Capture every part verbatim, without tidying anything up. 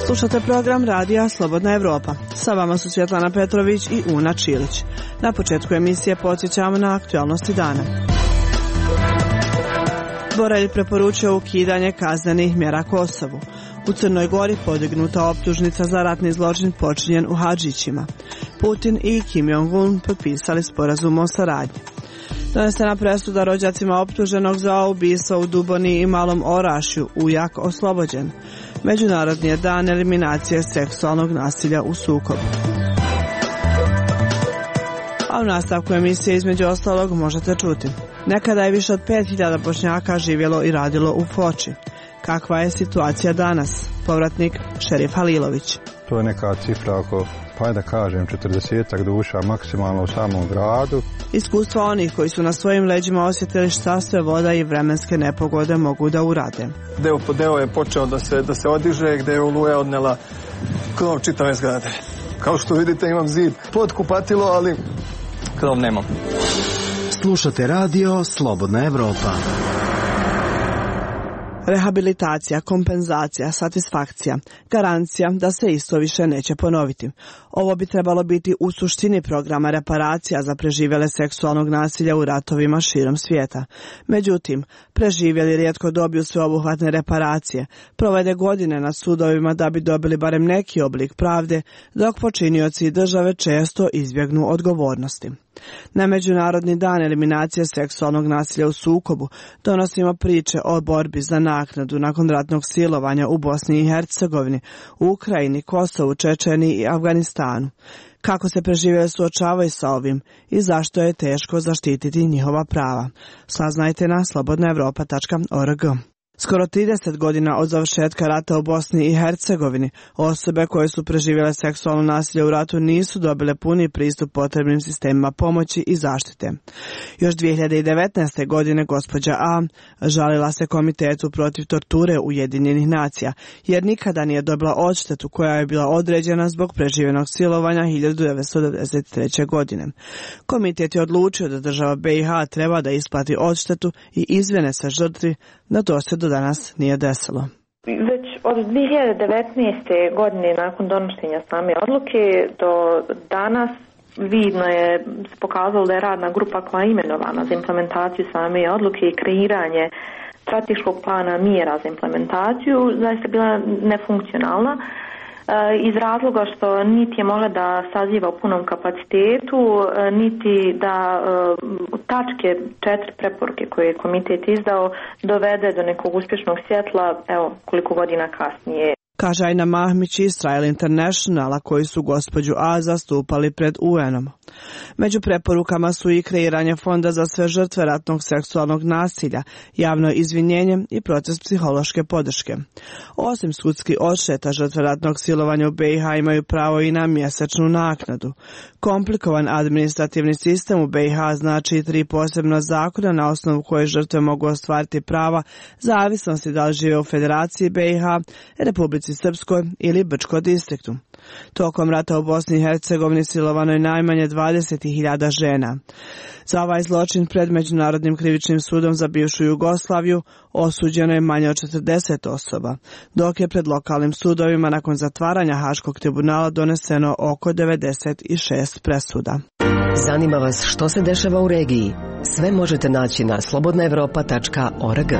Slušate program radija Slobodna Evropa. Sa vama su Svjetlana Petrović i Una Čilić. Na početku emisije podsjećamo na aktualnosti dana. Borelj preporučio ukidanje kaznenih mjera Kosovu. U Crnoj Gori podignuta optužnica za ratni zločin počinjen u Hadžićima. Putin i Kim Jong-un potpisali sporazum o saradnji. Donesena presuda rođacima optuženog za ubistvo u Duboni i Malom Orašju, ujak oslobođen. Međunarodni je dan eliminacije seksualnog nasilja u sukobu. A u nastavku emisije između ostalog možete čuti. Nekada je više od pet hiljada Bošnjaka živjelo i radilo u Foči. Kakva je situacija danas? Povratnik Šerif Halilović. To je neka cifra oko, pa da kažem, četrdesetak duša maksimalno u samom gradu. Iskustva onih koji su na svojim leđima osjetili šta sve voda i vremenske nepogode mogu da urade. Deo po deo je počeo da se, da se odiže, gde je oluja odnela krov čitave zgrade. Kao što vidite imam zid pod kupatilo, ali krov nemam. Slušate radio Slobodna Evropa. Rehabilitacija, kompenzacija, satisfakcija, garancija da se isto više neće ponoviti. Ovo bi trebalo biti u suštini programa reparacija za preživjele seksualnog nasilja u ratovima širom svijeta. Međutim, preživjeli rijetko dobiju sveobuhvatne reparacije, provede godine na sudovima da bi dobili barem neki oblik pravde, dok počinioci i države često izbjegnu odgovornosti. Na Međunarodni dan eliminacije seksualnog nasilja u sukobu donosimo priče o borbi za naknadu nakon ratnog silovanja u Bosni i Hercegovini, u Ukrajini, Kosovu, Čečeniji i Afganistanu. Kako se preživjeli suočavaju sa ovim i zašto je teško zaštititi njihova prava. Saznajte na slobodna evropa tačka org. Skoro trideset godina od završetka rata u Bosni i Hercegovini, osobe koje su preživjele seksualno nasilje u ratu nisu dobile puni pristup potrebnim sistemima pomoći i zaštite. Još dvije hiljade devetnaeste. godine gospođa A žalila se Komitetu protiv torture Ujedinjenih nacija, jer nikada nije dobila odštetu koja je bila određena zbog preživljenog silovanja hiljadu devetsto devedeset treće. godine. Komitet je odlučio da država B i H treba da isplati odštetu i izvine se žrtvi, da to se do danas nije desilo. Već od dvije hiljade devetnaeste. godine nakon donošenja same odluke do danas vidno je pokazalo da je radna grupa koja je imenovana za implementaciju same odluke i kreiranje strateškog plana mjera za implementaciju zaista bila nefunkcionalna iz razloga što niti je mogla da saziva u punom kapacitetu, niti da tačke četiri preporuke koje je komitet izdao dovede do nekog uspješnog svjetla, evo koliko godina kasnije. Kaže Ajna Mahmić Israel Internationala, koji su gospođu A zastupali pred U N-om. Među preporukama su i kreiranje fonda za sve žrtve ratnog seksualnog nasilja, javno izvinjenje i proces psihološke podrške. Osim sudski odšteta, žrtve ratnog silovanja u B i H imaju pravo i na mjesečnu naknadu. Komplikovan administrativni sistem u B i H znači tri posebna zakona na osnovu koje žrtve mogu ostvariti prava, zavisnosti da li žive u Federaciji B i H, Republici Srpskoj ili Brčko distriktu. Tokom rata u Bosni i Hercegovini silovano je najmanje dvadeset hiljada žena. Za ovaj zločin pred Međunarodnim krivičnim sudom za bivšu Jugoslaviju osuđeno je manje od četrdeset osoba, dok je pred lokalnim sudovima nakon zatvaranja Haškog tribunala doneseno oko devedeset šest presuda. Zanima vas što se dešava u regiji? Sve možete naći na slobodna evropa tačka org.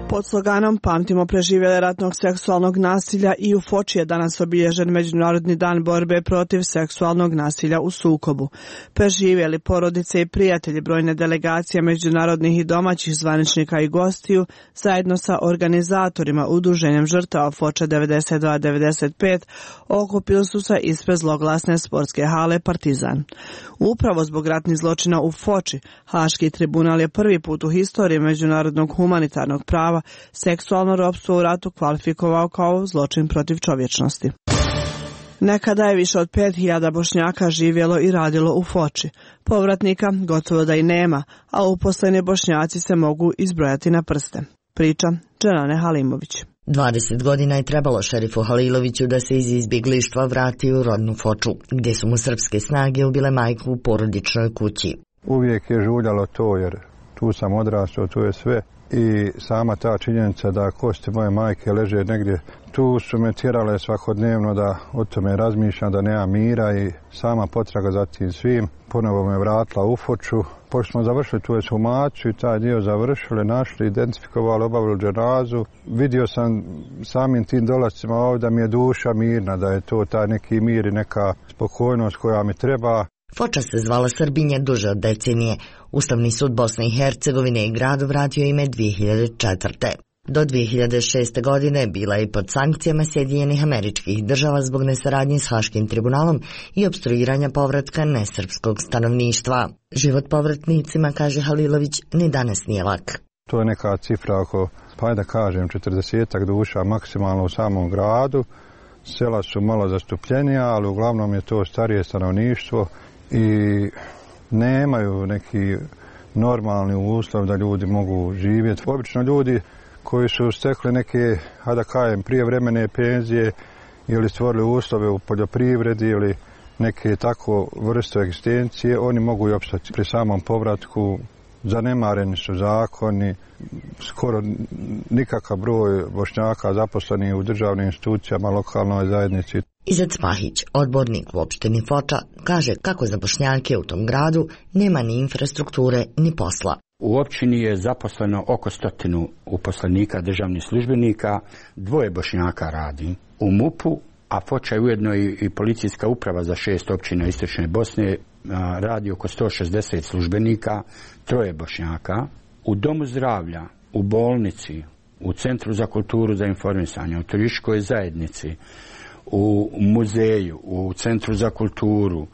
Pod sloganom Pamtimo preživjele ratnog seksualnog nasilja i u Foči je danas obilježen Međunarodni dan borbe protiv seksualnog nasilja u sukobu. Preživjeli porodice i prijatelji, brojne delegacije međunarodnih i domaćih zvaničnika i gostiju zajedno sa organizatorima Udruženjem žrtava Foča devedeset dva devedeset pet okupili su se ispred zloglasne sportske hale Partizan. Upravo zbog ratnih zločina u Foči, Haški tribunal je prvi put u historiji međunarodnog humanitarnog prava seksualno ropstvo u ratu kvalifikovao kao zločin protiv čovječnosti. Nekada je više od pet hiljada Bošnjaka živjelo i radilo u Foči. Povratnika gotovo da i nema, a uposleni Bošnjaci se mogu izbrojati na prste. Priča Dženane Halimović. dvadeset godina je trebalo šerifu Haliloviću da se iz izbjeglištva vrati u rodnu Foču, gdje su mu srpske snage ubile majku u porodičnoj kući. uvijek je žuljalo to, jer tu sam odrastao, tu je sve. I sama ta činjenica da kosti moje majke leže negdje, tu su me tjerale svakodnevno da o tome razmišljam, da nema mira, i sama potraga za tim svim ponovo me vratila u Foču. Pošto smo završili tu ekshumaciju i taj dio završili, našli, identifikovali, obavili dženazu, vidio sam samim tim dolascima ovdje da mi je duša mirna, da je to taj neki mir i neka spokojnost koja mi treba. Foča se zvala Srbinje duže od decenije. Ustavni sud Bosne i Hercegovine i gradu vratio ime dvije hiljade četvrte. Do dvije hiljade šeste. godine bila je i pod sankcijama Sjedinjenih Američkih Država zbog nesaradnje s Haškim tribunalom i opstruiranja povratka nesrpskog stanovništva. Život povratnicima, kaže Halilović, ni danas nije lak. To je neka cifra oko, pa da kažem, četrdesetak duša maksimalno u samom gradu. Sela su malo zastupljenija, ali uglavnom je to starije stanovništvo i nemaju neki normalni uslov da ljudi mogu živjeti. Obično ljudi koji su stekli neke, a da kažem, prijevremene penzije ili stvorili uslove u poljoprivredi ili neke tako vrste egzistencije, oni mogu i opstati. Pri samom povratku zanemareni su zakoni, skoro nikakav broj Bošnjaka zaposleni u državnim institucijama, lokalnoj zajednici. Izet Mahić, odbornik u opštini Foča, kaže kako za Bošnjake u tom gradu nema ni infrastrukture ni posla. U općini je zaposleno oko stotinu uposlenika državnih službenika, dvoje Bošnjaka radi u MUP-u, a Foča je ujedno i, i policijska uprava za šest općina istočne Bosne, a, radi oko sto šezdeset službenika, troje Bošnjaka. U domu zdravlja, u bolnici, u Centru za kulturu za informisanje, u turističkoj zajednici, u muzeju, u Centru za kulturu,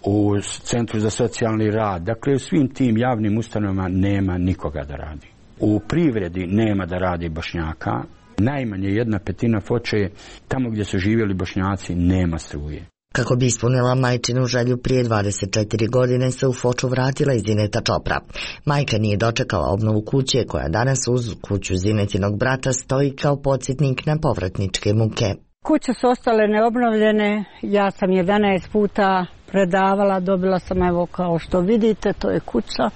u Centru za socijalni rad. Dakle, u svim tim javnim ustanovama nema nikoga da radi. U privredi nema da radi Bošnjaka. Najmanje jedna petina Foče je tamo gdje su živjeli Bošnjaci, nema struje. Kako bi ispunila majčinu želju, prije dvadeset četiri godine se u Foču vratila i Zineta Čopra. Majka nije dočekala obnovu kuće koja danas uz kuću Zinetinog brata stoji kao podsjetnik na povratničke muke. Kuće su ostale neobnovljene, ja sam jedanaest puta predavala, dobila sam, evo kao što vidite, to je kuća.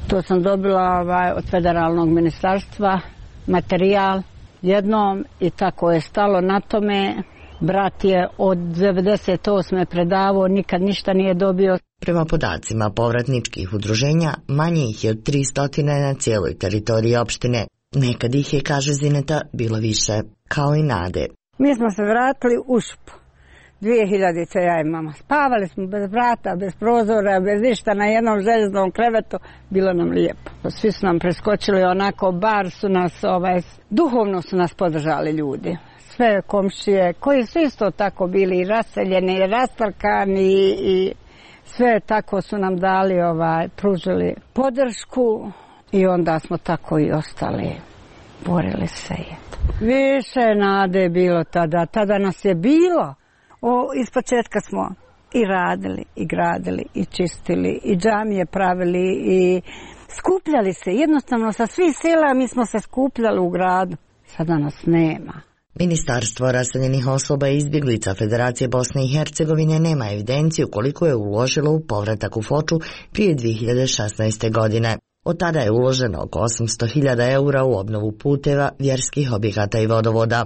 To sam dobila ovaj, od federalnog ministarstva, materijal jednom i tako je stalo na tome. Brat je od devedeset osme predavao, nikad ništa nije dobio. Prema podacima povratničkih udruženja, manje ih je od tristo na cijeloj teritoriji opštine. Nekad ih je, kaže Zineta, bilo više, kao i nade. Mi smo se vratili u Šupu. dvije hiljadite ja i mama. Spavali smo bez vrata, bez prozora, bez ništa, na jednom željeznom krevetu. Bilo nam lijepo. Svi su nam preskočili onako, bar su nas, ovaj, duhovno su nas podržali ljudi. Sve komšije, koji su isto tako bili i raseljeni, i rastrkani, i, i sve tako su nam dali, ovaj, pružili podršku i onda smo tako i ostali. Borili se je. Više nade je bilo tada, tada nas je bilo. O, ispočetka smo i radili, i gradili, i čistili, i džamije pravili, i skupljali se. Jednostavno sa svih sela mi smo se skupljali u gradu. Sada nas nema. Ministarstvo raseljenih osoba i izbjeglica Federacije Bosne i Hercegovine nema evidenciju koliko je uložilo u povratak u Foču prije dvije hiljade šesnaeste. godine. Od tada je uloženo oko osamsto hiljada eura u obnovu puteva, vjerskih objekata i vodovoda.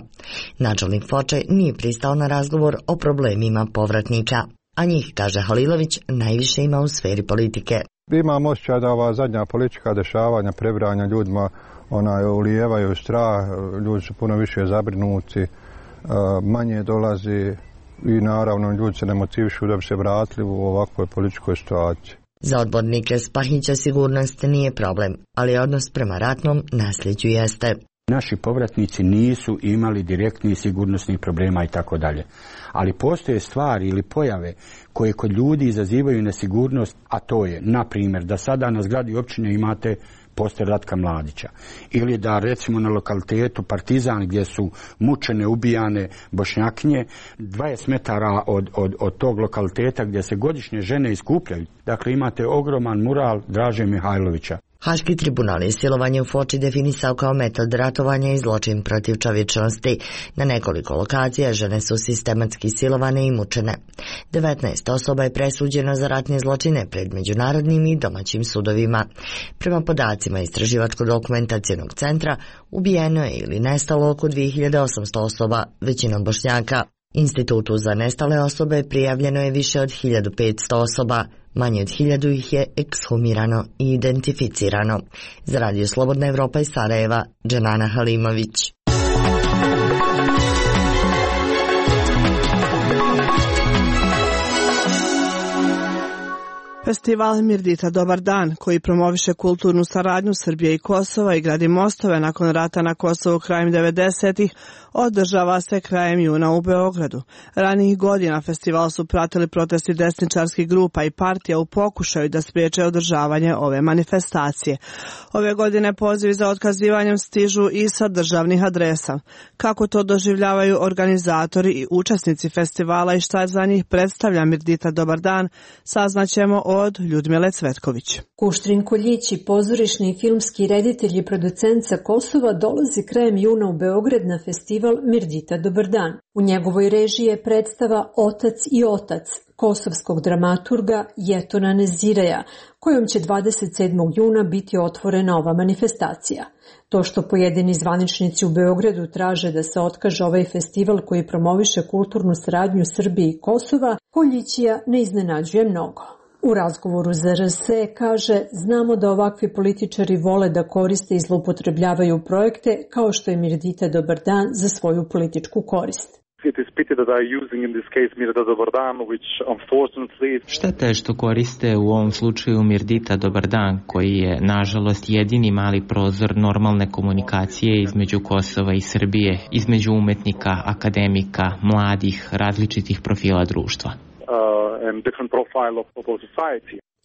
Načelnik Foče nije pristao na razgovor o problemima povratnika, a njih, kaže Halilović, najviše ima u sferi politike. Imam osjećaj da ova zadnja politička dešavanja, prebranja ljudima, onaj, ulijevaju strah, ljudi su puno više zabrinuti, manje dolazi i naravno ljudi se ne motivišu da bi se vratili u ovakvoj političkoj situaciji. Za odbornike Spahića sigurnost nije problem, ali odnos prema ratnom nasljeđu jeste. Naši povratnici nisu imali direktnih sigurnosnih problema i tako dalje. Ali postoje stvari ili pojave koje kod ljudi izazivaju nesigurnost, a to je, na primjer, da sada na zgradi općine imate poster Ratka Mladića. Ili da recimo na lokalitetu Partizan gdje su mučene, ubijane Bošnjakinje, dvadeset metara od, od, od tog lokaliteta gdje se godišnje žene iskupljaju. Dakle, imate ogroman mural Draže Mihajlovića. Haški tribunal je silovanje u Foči definisao kao metod ratovanja i zločin protiv čovječnosti. Na nekoliko lokacija žene su sistematski silovane i mučene. devetnaest osoba je presuđeno za ratne zločine pred međunarodnim i domaćim sudovima. Prema podacima Istraživačko-dokumentacionog centra, ubijeno je ili nestalo oko dvije hiljade osamsto osoba, većinom Bošnjaka. Institutu za nestale osobe prijavljeno je više od hiljadu petsto osoba. Manje od hiljadu ih je ekshumirano i identificirano. Za Radio Slobodna Evropa iz Sarajeva, Dženana Halimović. Festival Mirdita Dobar dan, koji promoviše kulturnu saradnju Srbije i Kosova i gradi mostove nakon rata na Kosovu krajem devedesetih, održava se krajem juna u Beogradu. Ranijih godina festival su pratili protesti desničarskih grupa i partija u pokušaju da spriječe održavanje ove manifestacije. Ove godine pozivi za otkazivanjem stižu i sa državnih adresa. Kako to doživljavaju organizatori i učesnici festivala i šta za njih predstavlja Mirdita Dobar dan, saznaćemo od Ljudmile Cvetković. Kuštrin Koljić i pozorišni i filmski reditelj i producent sa Kosova dolazi krajem juna u Beograd na festival Mirdita Dobar dan. U njegovoj režiji je predstava Otac i otac kosovskog dramaturga Jetona Nezireja, kojom će dvadeset sedmog juna biti otvorena ova manifestacija. To što pojedini zvaničnici u Beogradu traže da se otkaže ovaj festival koji promoviše kulturnu saradnju Srbije i Kosova, Koljićija ne iznenađuje mnogo. U razgovoru za R S kaže, znamo da ovakvi političari vole da koriste i zloupotrebljavaju projekte kao što je Mirdita Dobar dan za svoju političku korist. Šteta je što koriste u ovom slučaju Mirdita Dobar dan, koji je nažalost jedini mali prozor normalne komunikacije između Kosova i Srbije, između umetnika, akademika, mladih, različitih profila društva.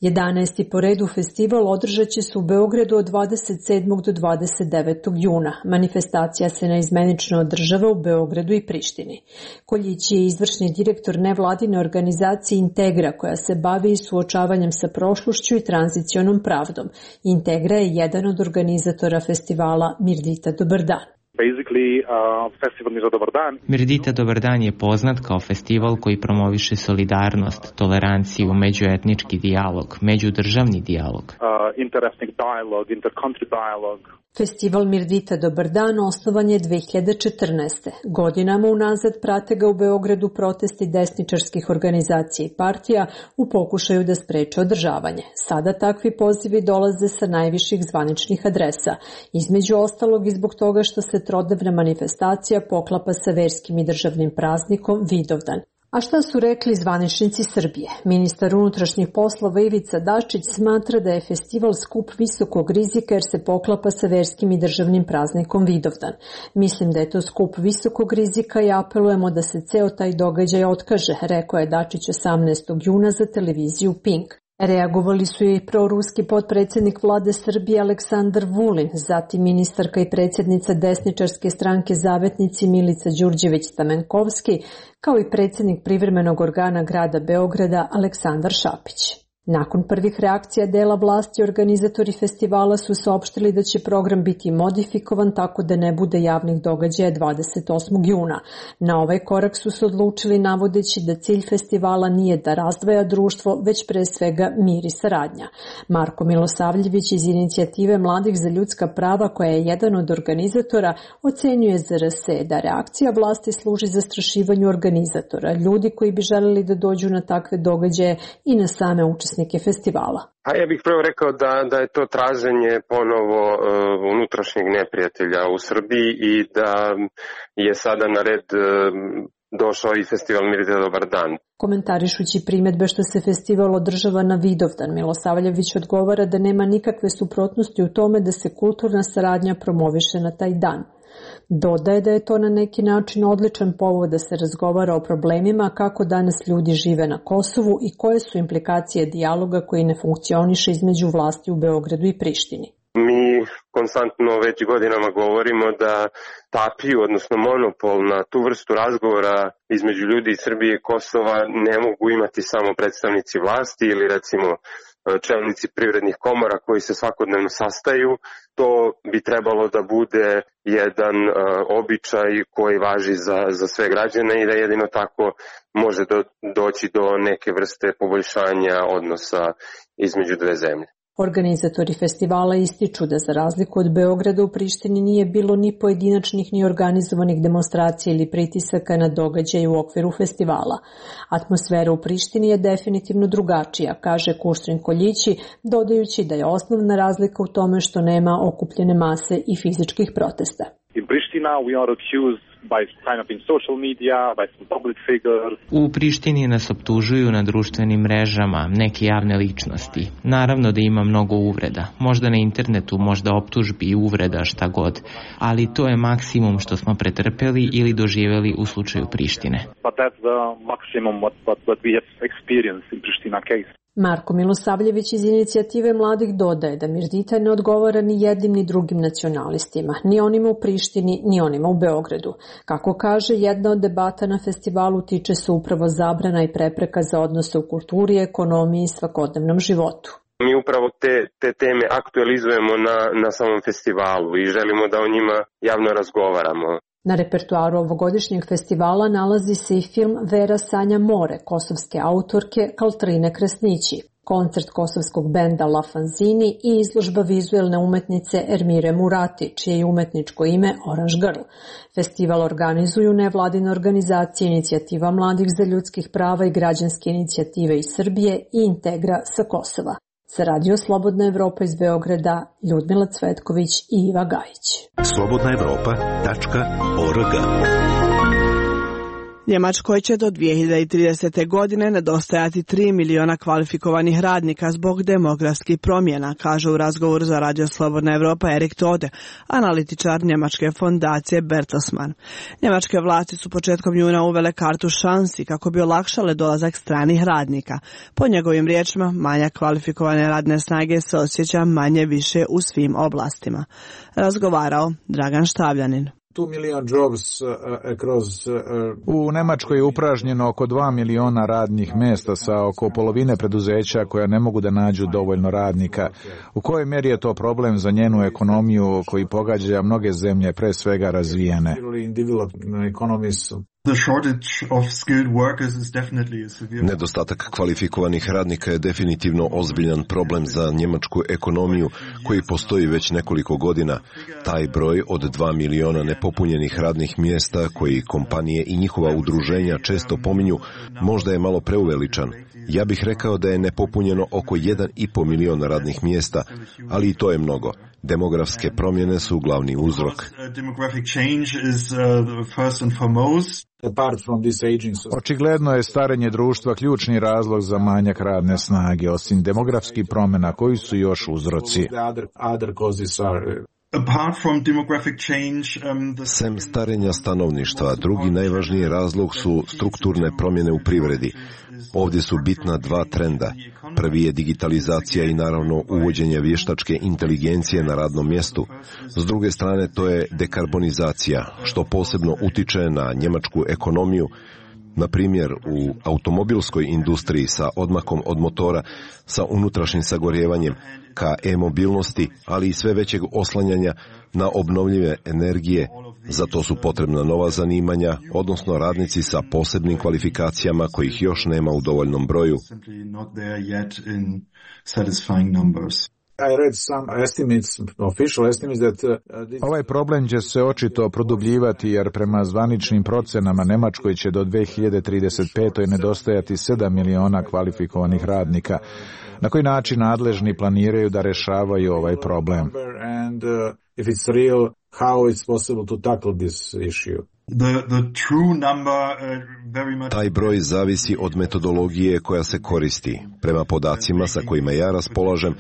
jedanaesti po redu festival održat će se u Beogradu od dvadeset sedmog do dvadeset devetog juna. Manifestacija se neizmenično održava u Beogradu i Prištini. Koljić je izvršni direktor nevladine organizacije Integra, koja se bavi suočavanjem sa prošlošću i tranzicionom pravdom. Integra je jedan od organizatora festivala Mirdita Dobar dan. Uh, festival Dobar dan. Mirdita Dobar dan je poznat kao festival koji promoviše solidarnost, toleranciju, međuetnički dijalog, međudržavni dijalog. Uh, interesting dialogue, intercountry dialogue. Festival Mirdita Dobar dan osnovan je dve hiljade četrnaeste. Godinama unazad prate ga u Beogradu protesti desničarskih organizacija i partija u pokušaju da spreče održavanje. Sada takvi pozivi dolaze sa najviših zvaničnih adresa, između ostalog i zbog toga što se trodnevna manifestacija poklapa sa verskim i državnim praznikom Vidovdan. A šta su rekli zvaničnici Srbije? Ministar unutrašnjih poslova Ivica Dačić smatra da je festival skup visokog rizika jer se poklapa sa verskim i državnim praznikom Vidovdan. Mislim da je to skup visokog rizika i apelujemo da se ceo taj događaj otkaže, rekao je Dačić osamnaestog juna za televiziju Pink. Reagovali su i proruski potpredsjednik vlade Srbije Aleksandar Vulin, zatim ministarka i predsjednica desničarske stranke Zavetnici Milica Đurđević-Stamenkovski, kao i predsjednik privremenog organa grada Beograda Aleksandar Šapić. Nakon prvih reakcija dela vlasti, organizatori festivala su saopštili da će program biti modifikovan tako da ne bude javnih događaja dvadeset osmog juna. Na ovaj korak su se odlučili navodeći da cilj festivala nije da razdvaja društvo, već pre svega mir i saradnja. Marko Milosavljević iz inicijative Mladih za ljudska prava, koja je jedan od organizatora, ocenjuje za R S da reakcija vlasti služi zastrašivanju organizatora, ljudi koji bi želeli da dođu na takve događaje i na same učesnike festivala. A ja bih prvo rekao da, da je to traženje ponovo uh, unutrašnjeg neprijatelja u Srbiji i da je sada na red uh, došao i festival Mirdita Dobar dan. Komentarišući primjedbe što se festival održava na Vidovdan, Milosavljević odgovara da nema nikakve suprotnosti u tome da se kulturna saradnja promoviše na taj dan. Dodaje da je to na neki način odličan povod da se razgovara o problemima kako danas ljudi žive na Kosovu i koje su implikacije dijaloga koji ne funkcioniše između vlasti u Beogradu i Prištini. Mi konstantno već godinama govorimo da tapiju, odnosno monopol na tu vrstu razgovora između ljudi iz Srbije i Kosova ne mogu imati samo predstavnici vlasti ili recimo čelnici privrednih komora koji se svakodnevno sastaju. To bi trebalo da bude jedan uh, običaj koji važi za, za sve građane i da jedino tako može do, doći do neke vrste poboljšanja odnosa između dve zemlje. Organizatori festivala ističu da za razliku od Beograda u Prištini nije bilo ni pojedinačnih ni organizovanih demonstracija ili pritisaka na događaje u okviru festivala. Atmosfera u Prištini je definitivno drugačija, kaže Kuštrin Koljići, dodajući da je osnovna razlika u tome što nema okupljene mase i fizičkih protesta. In Pristina we are accused by kind of in social media, by some public figures. U Prištini nas optužuju na društvenim mrežama, neke javne ličnosti. Naravno da ima mnogo uvreda. Možda na internetu, možda optužbi i uvreda, šta god. Ali to je maksimum što smo pretrpeli ili doživjeli u slučaju Prištine. But that's the maximum what, what, what we have experienced in Pristina case. Marko Milosavljević iz inicijative mladih dodaje da Mirdita ne odgovara ni jednim ni drugim nacionalistima, ni onima u Prištini, ni onima u Beogradu. Kako kaže, jedna od debata na festivalu tiče se upravo zabrana i prepreka za odnose u kulturi, ekonomiji i svakodnevnom životu. Mi upravo te, te teme aktualizujemo na, na samom festivalu i želimo da o njima javno razgovaramo. Na repertoaru ovogodišnjeg festivala nalazi se i film Vera sanja more, kosovske autorke Kaltrine Kresnići, koncert kosovskog benda La Fanzini i izložba vizuelne umetnice Ermire Murati, čije je umetničko ime Orange Girl. Festival organizuju nevladine organizacije Inicijativa mladih za ljudskih prava i građanske inicijative iz Srbije i Integra sa Kosova. Za Radio Slobodna Evropa iz Beograda, Ljudmila Cvetković i Iva Gajić. slobodna evropa tačka org. Njemačkoj će do dvije hiljade tridesete. godine nedostajati tri miliona kvalifikovanih radnika zbog demografskih promjena, kaže u razgovoru za Radio Slobodna Evropa Erik Tode, analitičar njemačke fondacije Bertelsmann. Njemačke vlasti su početkom juna uvele kartu šansi kako bi olakšale dolazak stranih radnika. Po njegovim riječima, manjak kvalifikovane radne snage se osjeća manje više u svim oblastima. Razgovarao Dragan Štavljanin. U Njemačkoj je upražnjeno oko dva miliona radnih mjesta sa oko polovine preduzeća koja ne mogu da nađu dovoljno radnika. U kojoj mjeri je to problem za njenu ekonomiju koji pogađa mnoge zemlje, pre svega razvijene? Nedostatak kvalifikovanih radnika je definitivno ozbiljan problem za njemačku ekonomiju koji postoji već nekoliko godina. Taj broj od dva miliona nepopunjenih radnih mjesta koji kompanije i njihova udruženja često pominju možda je malo preuveličan. Ja bih rekao da je nepopunjeno oko jedan i po miliona radnih mjesta, ali i to je mnogo. Demografske promjene su glavni uzrok. Očigledno je starenje društva ključni razlog za manjak radne snage, osim demografskih promjena koji su još uzroci. Sem starenja stanovništva, drugi najvažniji razlog su strukturne promjene u privredi. Ovdje su bitna dva trenda. Prvi je digitalizacija i naravno uvođenje vještačke inteligencije na radnom mjestu. S druge strane to je dekarbonizacija, što posebno utiče na njemačku ekonomiju. Na primjer, u automobilskoj industriji sa odmakom od motora, sa unutrašnjim sagorjevanjem, ka e-mobilnosti, ali i sve većeg oslanjanja na obnovljive energije. Za to su potrebna nova zanimanja, odnosno radnici sa posebnim kvalifikacijama kojih još nema u dovoljnom broju. Ovaj problem će se očito produbljivati jer prema zvaničnim procenama Njemačkoj će do dvije hiljade trideset pete. nedostajati sedam miliona kvalifikovanih radnika. Na koji način nadležni planiraju da rešavaju ovaj problem? Taj broj zavisi od metodologije koja se koristi. Prema podacima sa kojima ja raspolažem,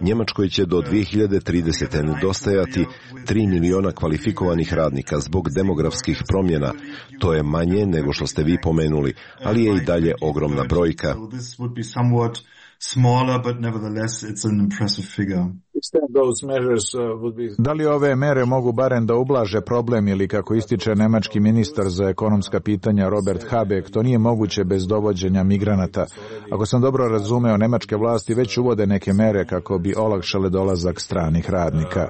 Njemačkoj će do dvije hiljade tridesete. nedostajati tri miliona kvalifikovanih radnika zbog demografskih promjena. To je manje nego što ste vi pomenuli, ali je i dalje ogromna brojka. smaller, but nevertheless it's an impressive figure. Da li ove mere mogu barem da ublaže problem ili, kako ističe nemački ministar za ekonomska pitanja Robert Habeck, to nije moguće bez dovođenja migranata? Ako sam dobro razumeo, nemačke vlasti već uvode neke mere kako bi olakšale dolazak stranih radnika.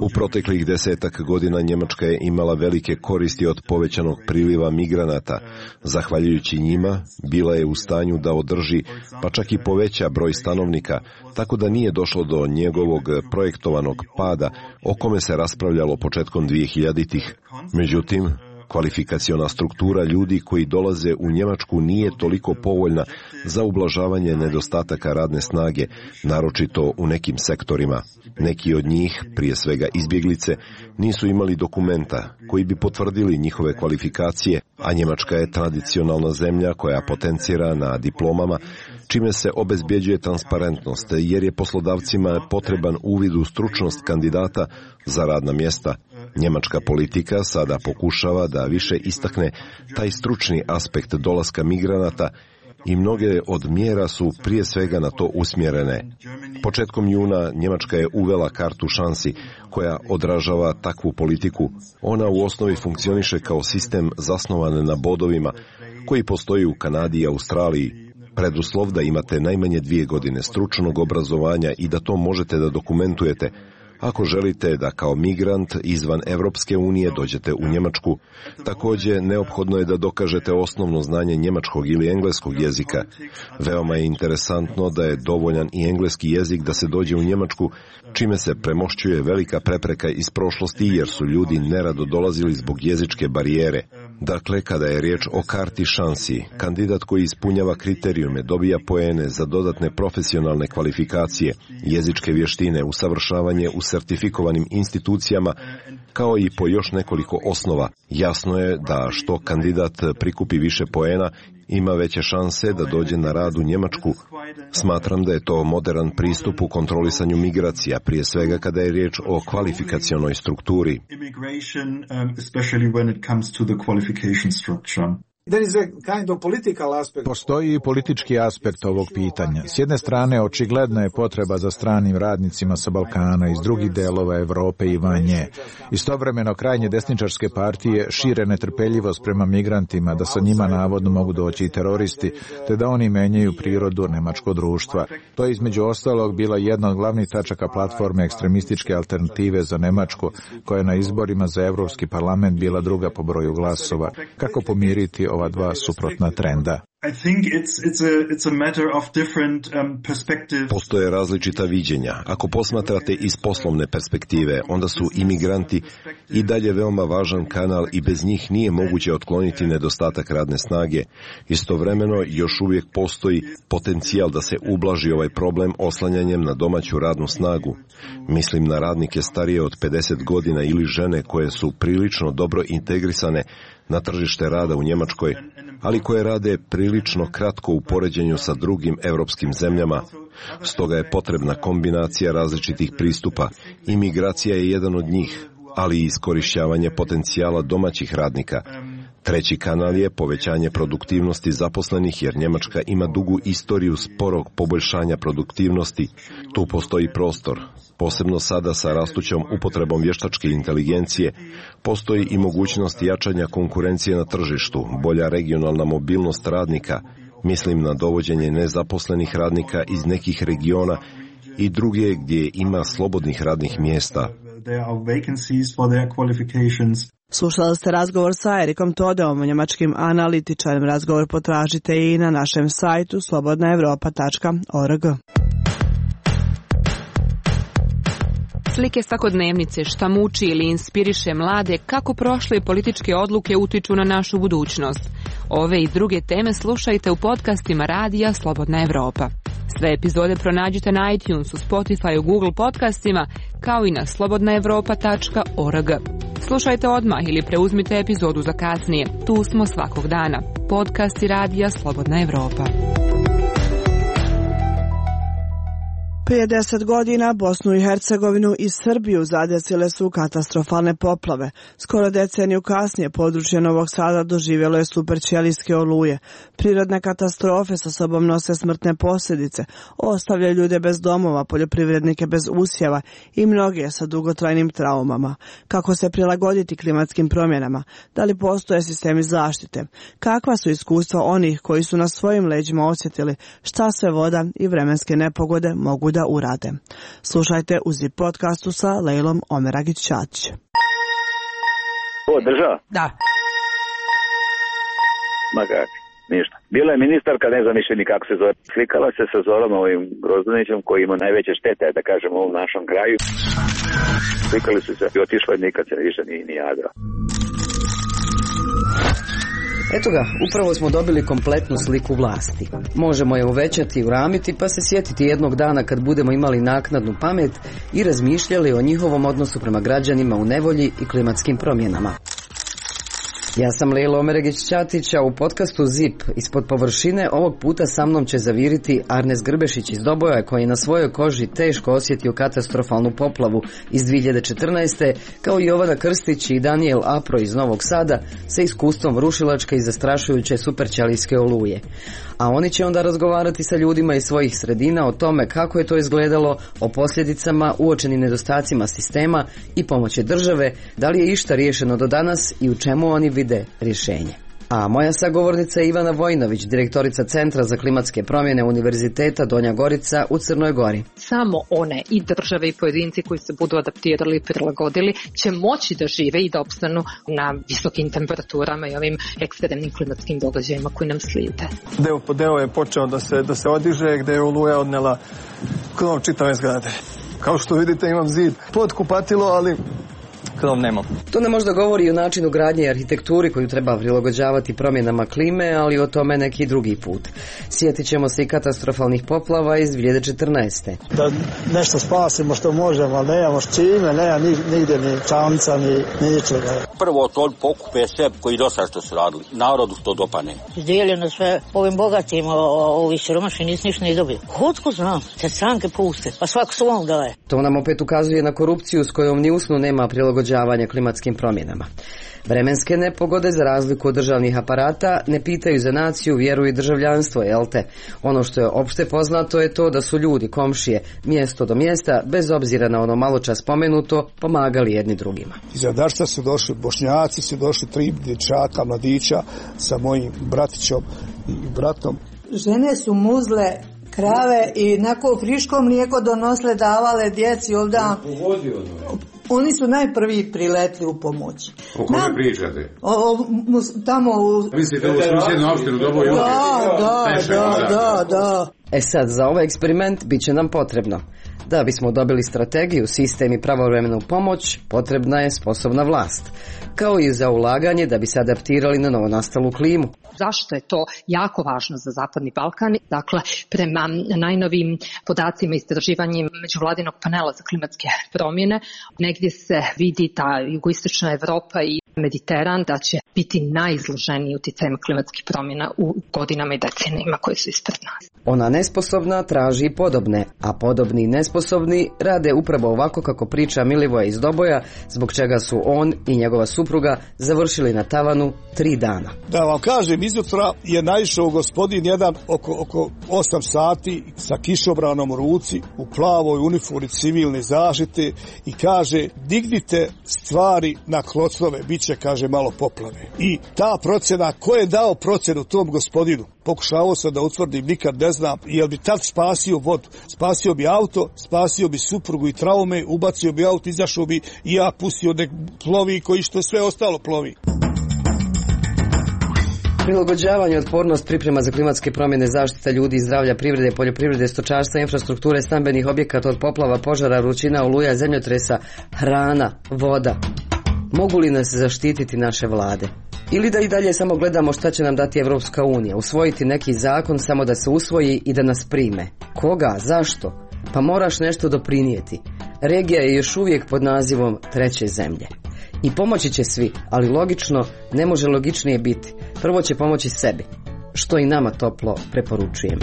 U proteklih desetak godina Njemačka je imala velike koristi od povećanog priliva migranata. Zahvaljujući njima, bila je u stanju da održi, pa čak i poveća broj stanovnika, tako da nije došlo do njegovog projektovanog pada, o kome se raspravljalo početkom dvehiljaditih. Međutim, kvalifikaciona struktura ljudi koji dolaze u Njemačku nije toliko povoljna za ublažavanje nedostataka radne snage, naročito u nekim sektorima. Neki od njih, prije svega izbjeglice, nisu imali dokumenta koji bi potvrdili njihove kvalifikacije, a Njemačka je tradicionalna zemlja koja potencira na diplomama, čime se obezbjeđuje transparentnost, jer je poslodavcima potreban uvid u stručnost kandidata za radna mjesta. Njemačka politika sada pokušava da više istakne taj stručni aspekt dolaska migranata i mnoge od mjera su prije svega na to usmjerene. Početkom juna Njemačka je uvela kartu šansi koja odražava takvu politiku. Ona u osnovi funkcioniše kao sistem zasnovan na bodovima koji postoji u Kanadi i Australiji. Preduslov da imate najmanje dvije godine stručnog obrazovanja i da to možete da dokumentujete ako želite da kao migrant izvan Evropske unije dođete u Njemačku. Također, neophodno je da dokažete osnovno znanje njemačkog ili engleskog jezika. Veoma je interesantno da je dovoljan i engleski jezik da se dođe u Njemačku, čime se premošćuje velika prepreka iz prošlosti jer su ljudi nerado dolazili zbog jezičke barijere. Dakle, kada je riječ o karti šansi, kandidat koji ispunjava kriterijume dobija poene za dodatne profesionalne kvalifikacije, jezičke vještine, usavršavanje u sertifikovanim institucijama, kao i po još nekoliko osnova. Jasno je da što kandidat prikupi više poena, ima veće šanse da dođe na rad u Njemačku. Smatram da je to moderan pristup u kontrolisanju migracija, prije svega kada je riječ o kvalifikacionoj strukturi. Postoji i politički aspekt ovog pitanja. S jedne strane, očigledna je potreba za stranim radnicima sa Balkana iz drugih delova Evrope i van nje. Istovremeno, krajnje desničarske partije šire netrpeljivost prema migrantima, da sa njima navodno mogu doći i teroristi, te da oni menjaju prirodu nemačkog društva. To je između ostalog bila jedna od glavnih tačaka platforme ekstremističke alternative za Nemačku, koja je na izborima za Evropski parlament bila druga po broju glasova. Kako pomiriti ova dva suprotna trenda? Postoje različita viđenja. Ako posmatrate iz poslovne perspektive, onda su imigranti i dalje veoma važan kanal i bez njih nije moguće otkloniti nedostatak radne snage. Istovremeno još uvijek postoji potencijal da se ublaži ovaj problem oslanjanjem na domaću radnu snagu. Mislim na radnike starije od pedeset godina ili žene koje su prilično dobro integrisane na tržište rada u Njemačkoj, ali koje rade prilično kratko u poređenju sa drugim europskim zemljama. Stoga je potrebna kombinacija različitih pristupa. Imigracija je jedan od njih, ali i iskorišćavanje potencijala domaćih radnika. Treći kanal je povećanje produktivnosti zaposlenih, jer Njemačka ima dugu istoriju sporog poboljšanja produktivnosti. Tu postoji prostor. Posebno sada sa rastućom upotrebom vještačke inteligencije, postoji i mogućnost jačanja konkurencije na tržištu, bolja regionalna mobilnost radnika, mislim na dovođenje nezaposlenih radnika iz nekih regiona i druge gdje ima slobodnih radnih mjesta. Slušali ste razgovor sa Erikom Todeom, njemačkim analitičarem. Razgovor potražite i na našem sajtu slobodna evropa tačka org. Slike svakodnevnice, šta muči ili inspiriše mlade, kako prošle političke odluke utiču na našu budućnost. Ove i druge teme slušajte u podcastima radija Slobodna Evropa. Sve epizode pronađite na iTunesu, Spotifyu, Google podcastima, kao i na slobodna evropa tačka org. Slušajte odmah ili preuzmite epizodu za kasnije. Tu smo svakog dana. Podcasti radija Slobodna Evropa. Prije deset godina Bosnu i Hercegovinu i Srbiju zadesile su katastrofalne poplave. Skoro deceniju kasnije područje Novog Sada doživjelo je superćelijske oluje. Prirodne katastrofe sa sobom nose smrtne posljedice, ostavljaju ljude bez domova, poljoprivrednike bez usjeva i mnoge sa dugotrajnim traumama. Kako se prilagoditi klimatskim promjenama? Da li postoje sistemi zaštite? Kakva su iskustva onih koji su na svojim leđima osjetili šta sve voda i vremenske nepogode mogu da urade? Slušajte u Zip podcastu sa Lejlom Omeragić-Čačić. Ovo država? Da. Ma kak, ništa. Bila je ministarka, ne znam više ni kako se zove. Slikala se sa Zorom ovim Grozdanićem koji ima najveće štete, da kažem, u ovom našom kraju. Slikali su se i otišla i nikad se više ni, ni jadra. Eto ga, upravo smo dobili kompletnu sliku vlasti. Možemo je uvećati i uramiti pa se sjetiti jednog dana kad budemo imali naknadnu pamet i razmišljali o njihovom odnosu prema građanima u nevolji i klimatskim promjenama. Ja sam Lejla Omeragić-Čačić, a u podcastu Zip ispod površine ovog puta sa mnom će zaviriti Arnes Grbešić iz Doboja, koji je na svojoj koži teško osjetio katastrofalnu poplavu iz dvije hiljade četrnaeste. kao i Jovana Krstić i Daniel Apro iz Novog Sada sa iskustvom rušilačke i zastrašujuće superćelijske oluje. A oni će onda razgovarati sa ljudima iz svojih sredina o tome kako je to izgledalo, o posljedicama, uočenim nedostacima sistema i pomoći države, da li je išta riješeno do danas i u čemu oni vide rješenje. A moja sagovornica je Ivana Vojnović, direktorica Centra za klimatske promjene Univerziteta Donja Gorica u Crnoj Gori. Samo one i države i pojedinci koji se budu adaptirali i prilagodili će moći da žive i da opstanu na visokim temperaturama i ovim ekstremnim klimatskim događajima koji nam slijede. Deo po deo je počeo da se, da se odiže, gde je oluja odnela krov čitave zgrade. Kao što vidite imam zid pod kupatilo, ali krov nemam. To nam možda govori o načinu gradnje i arhitekturi koju treba prilagođavati promjenama klime, ali o tome neki drugi put. Sjetit ćemo se i katastrofalnih poplava iz dvije hiljade četrnaeste. Da nešto spasimo što možemo, ali nemamo s čime, nema nigdje ni čamca, ni ničega. Prvo to pokupe sve koji do sada što su radili. Narodu to dopane. Izdijeljeno sve ovim bogatim, ovi siromašni nisu ništa ni dobili. Kotko znam, te stranke puste, pa svako svom daje. To nam opet ukazuje na korupciju s kojom ni usnu nema prilagođavanja klimatskim promjenama. Vremenske nepogode, za razliku od državnih aparata, ne pitaju za naciju, vjeru i državljanstvo, jel te? Ono što je opšte poznato je to da su ljudi, komšije, mjesto do mjesta, bez obzira na ono malo čas spomenuto, pomagali jedni drugima. Iz Radarstva su došli Bošnjaci, su došli tri dječaka, mladića sa mojim bratićom i bratom. Žene su muzle krave i nako friško mlijeko donosle, davale djeci ovdje. Oni su najprvi priletli u pomoć. O kome Nam, pričate? O, o, tamo u... Mislite u susjednu opštinu Doboj? Da, da, da, da, da. E sad, za ovaj eksperiment bit će nam potrebno. Da bismo dobili strategiju, sistem i pravovremenu pomoć, potrebna je sposobna vlast. Kao i za ulaganje da bi se adaptirali na novonastalu klimu. Zašto je to jako važno za Zapadni Balkan? Dakle, prema najnovim podacima istraživanjem međuvladinog panela za klimatske promjene, negdje se vidi ta jugoistočna Evropa i Mediteran da će biti najizloženiji uticajem klimatskih promjena u godinama i decenijima koje su ispred nas. Ona nesposobna traži podobne, a podobni i nesposobni rade upravo ovako kako priča Milivoje iz Doboja, zbog čega su on i njegova supruga završili na tavanu tri dana. Da vam kažem, izutra je naišao gospodin jedan oko, oko osam sati sa kišobranom u ruci, u plavoj uniformi civilne zaštite i kaže, dignite stvari na klocove, bit će, kaže, malo poplave. I ta procjena, ko je dao procjenu tom gospodinu? Pokušavao sam da utvrdim, nikad ne znam, jel bi tad spasio vodu. Spasio bi auto, spasio bi suprugu i traume, ubacio bi auto, izašao bi i ja pustio nek plovi koji što sve ostalo plovi. Prilagođavanje, otpornost, priprema za klimatske promjene, zaštita ljudi i zdravlja, privrede, poljoprivrede, stočarstva, infrastrukture, stambenih objekata od poplava, požara, vrućina, oluja, zemljotresa, hrana, voda. Mogu li nas zaštititi naše vlade? Ili da i dalje samo gledamo šta će nam dati Evropska unija, usvojiti neki zakon samo da se usvoji i da nas prime? Koga? Zašto? Pa moraš nešto doprinijeti. Regija je još uvijek pod nazivom treće zemlje. I pomoći će svi, ali logično ne može logičnije biti. Prvo će pomoći sebi, što i nama toplo preporučujem.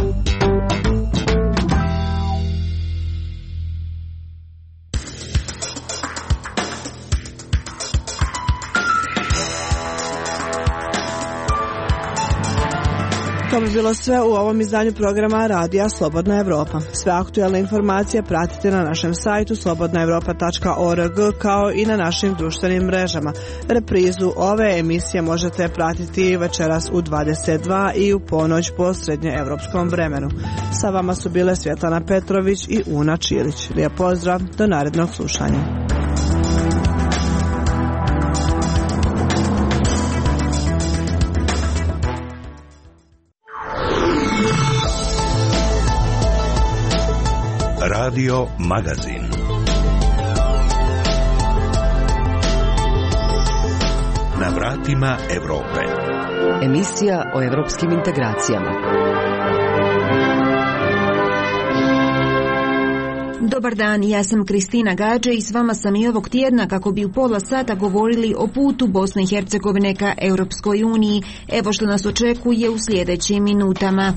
To bi bilo sve u ovom izdanju programa Radija Slobodna Evropa. Sve aktuelne informacije pratite na našem sajtu slobodna evropa tačka org kao i na našim društvenim mrežama. Reprizu ove emisije možete pratiti večeras u dvadeset dva i u ponoć po srednjoevropskom vremenu. Sa vama su bile Svjetlana Petrović i Una Čilić. Lijep pozdrav, do narednog slušanja. Radio Magazin. Na vratima Evrope. Emisija o evropskim integracijama. Dobar dan, ja sam Kristina Gađe i s vama sam i ovog tjedna kako bi u pola sata govorili o putu Bosne i Hercegovine ka Europskoj uniji. Evo što nas očekuje u sljedećim minutama.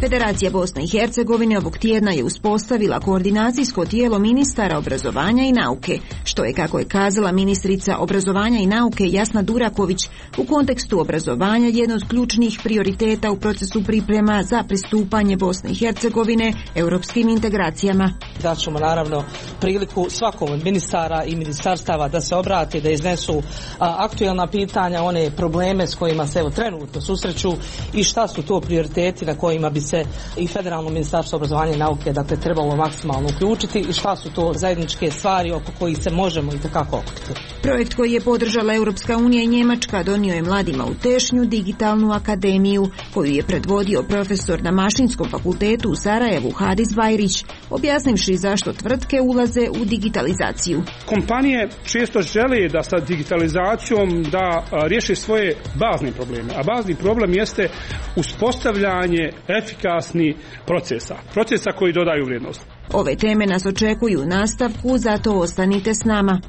Federacija Bosne i Hercegovine ovog tjedna je uspostavila koordinacijsko tijelo ministara obrazovanja i nauke, što je, kako je kazala ministrica obrazovanja i nauke Jasna Duraković, u kontekstu obrazovanja jedno od ključnih prioriteta u procesu priprema za pristupanje Bosne i Hercegovine europskim integracijama. Daćemo naravno priliku svakom od ministara i ministarstava da se obrate, da iznesu a, aktuelna pitanja, one probleme s kojima se evo trenutno susreću i šta su to prioriteti na kojima bi se i Federalno ministarstvo obrazovanja i nauke dakle trebalo maksimalno uključiti i šta su to zajedničke stvari oko kojih se možemo i takako okupiti. Projekt koji je podržala Europska unija i Njemačka donio je mladima u Tešnju digitalnu akademiju koju je predvodio profesor na Mašinskom fakultetu u Sarajevu Hadis Bajrić, objasnivši zašto tvrtke ulaze u digitalizaciju. Kompanije često žele da sa digitalizacijom da riješe svoje bazne probleme, a bazni problem jeste uspostavljanje efikasnih procesa, procesa koji dodaju vrijednost. Ove teme nas očekuju u nastavku, zato ostanite s nama.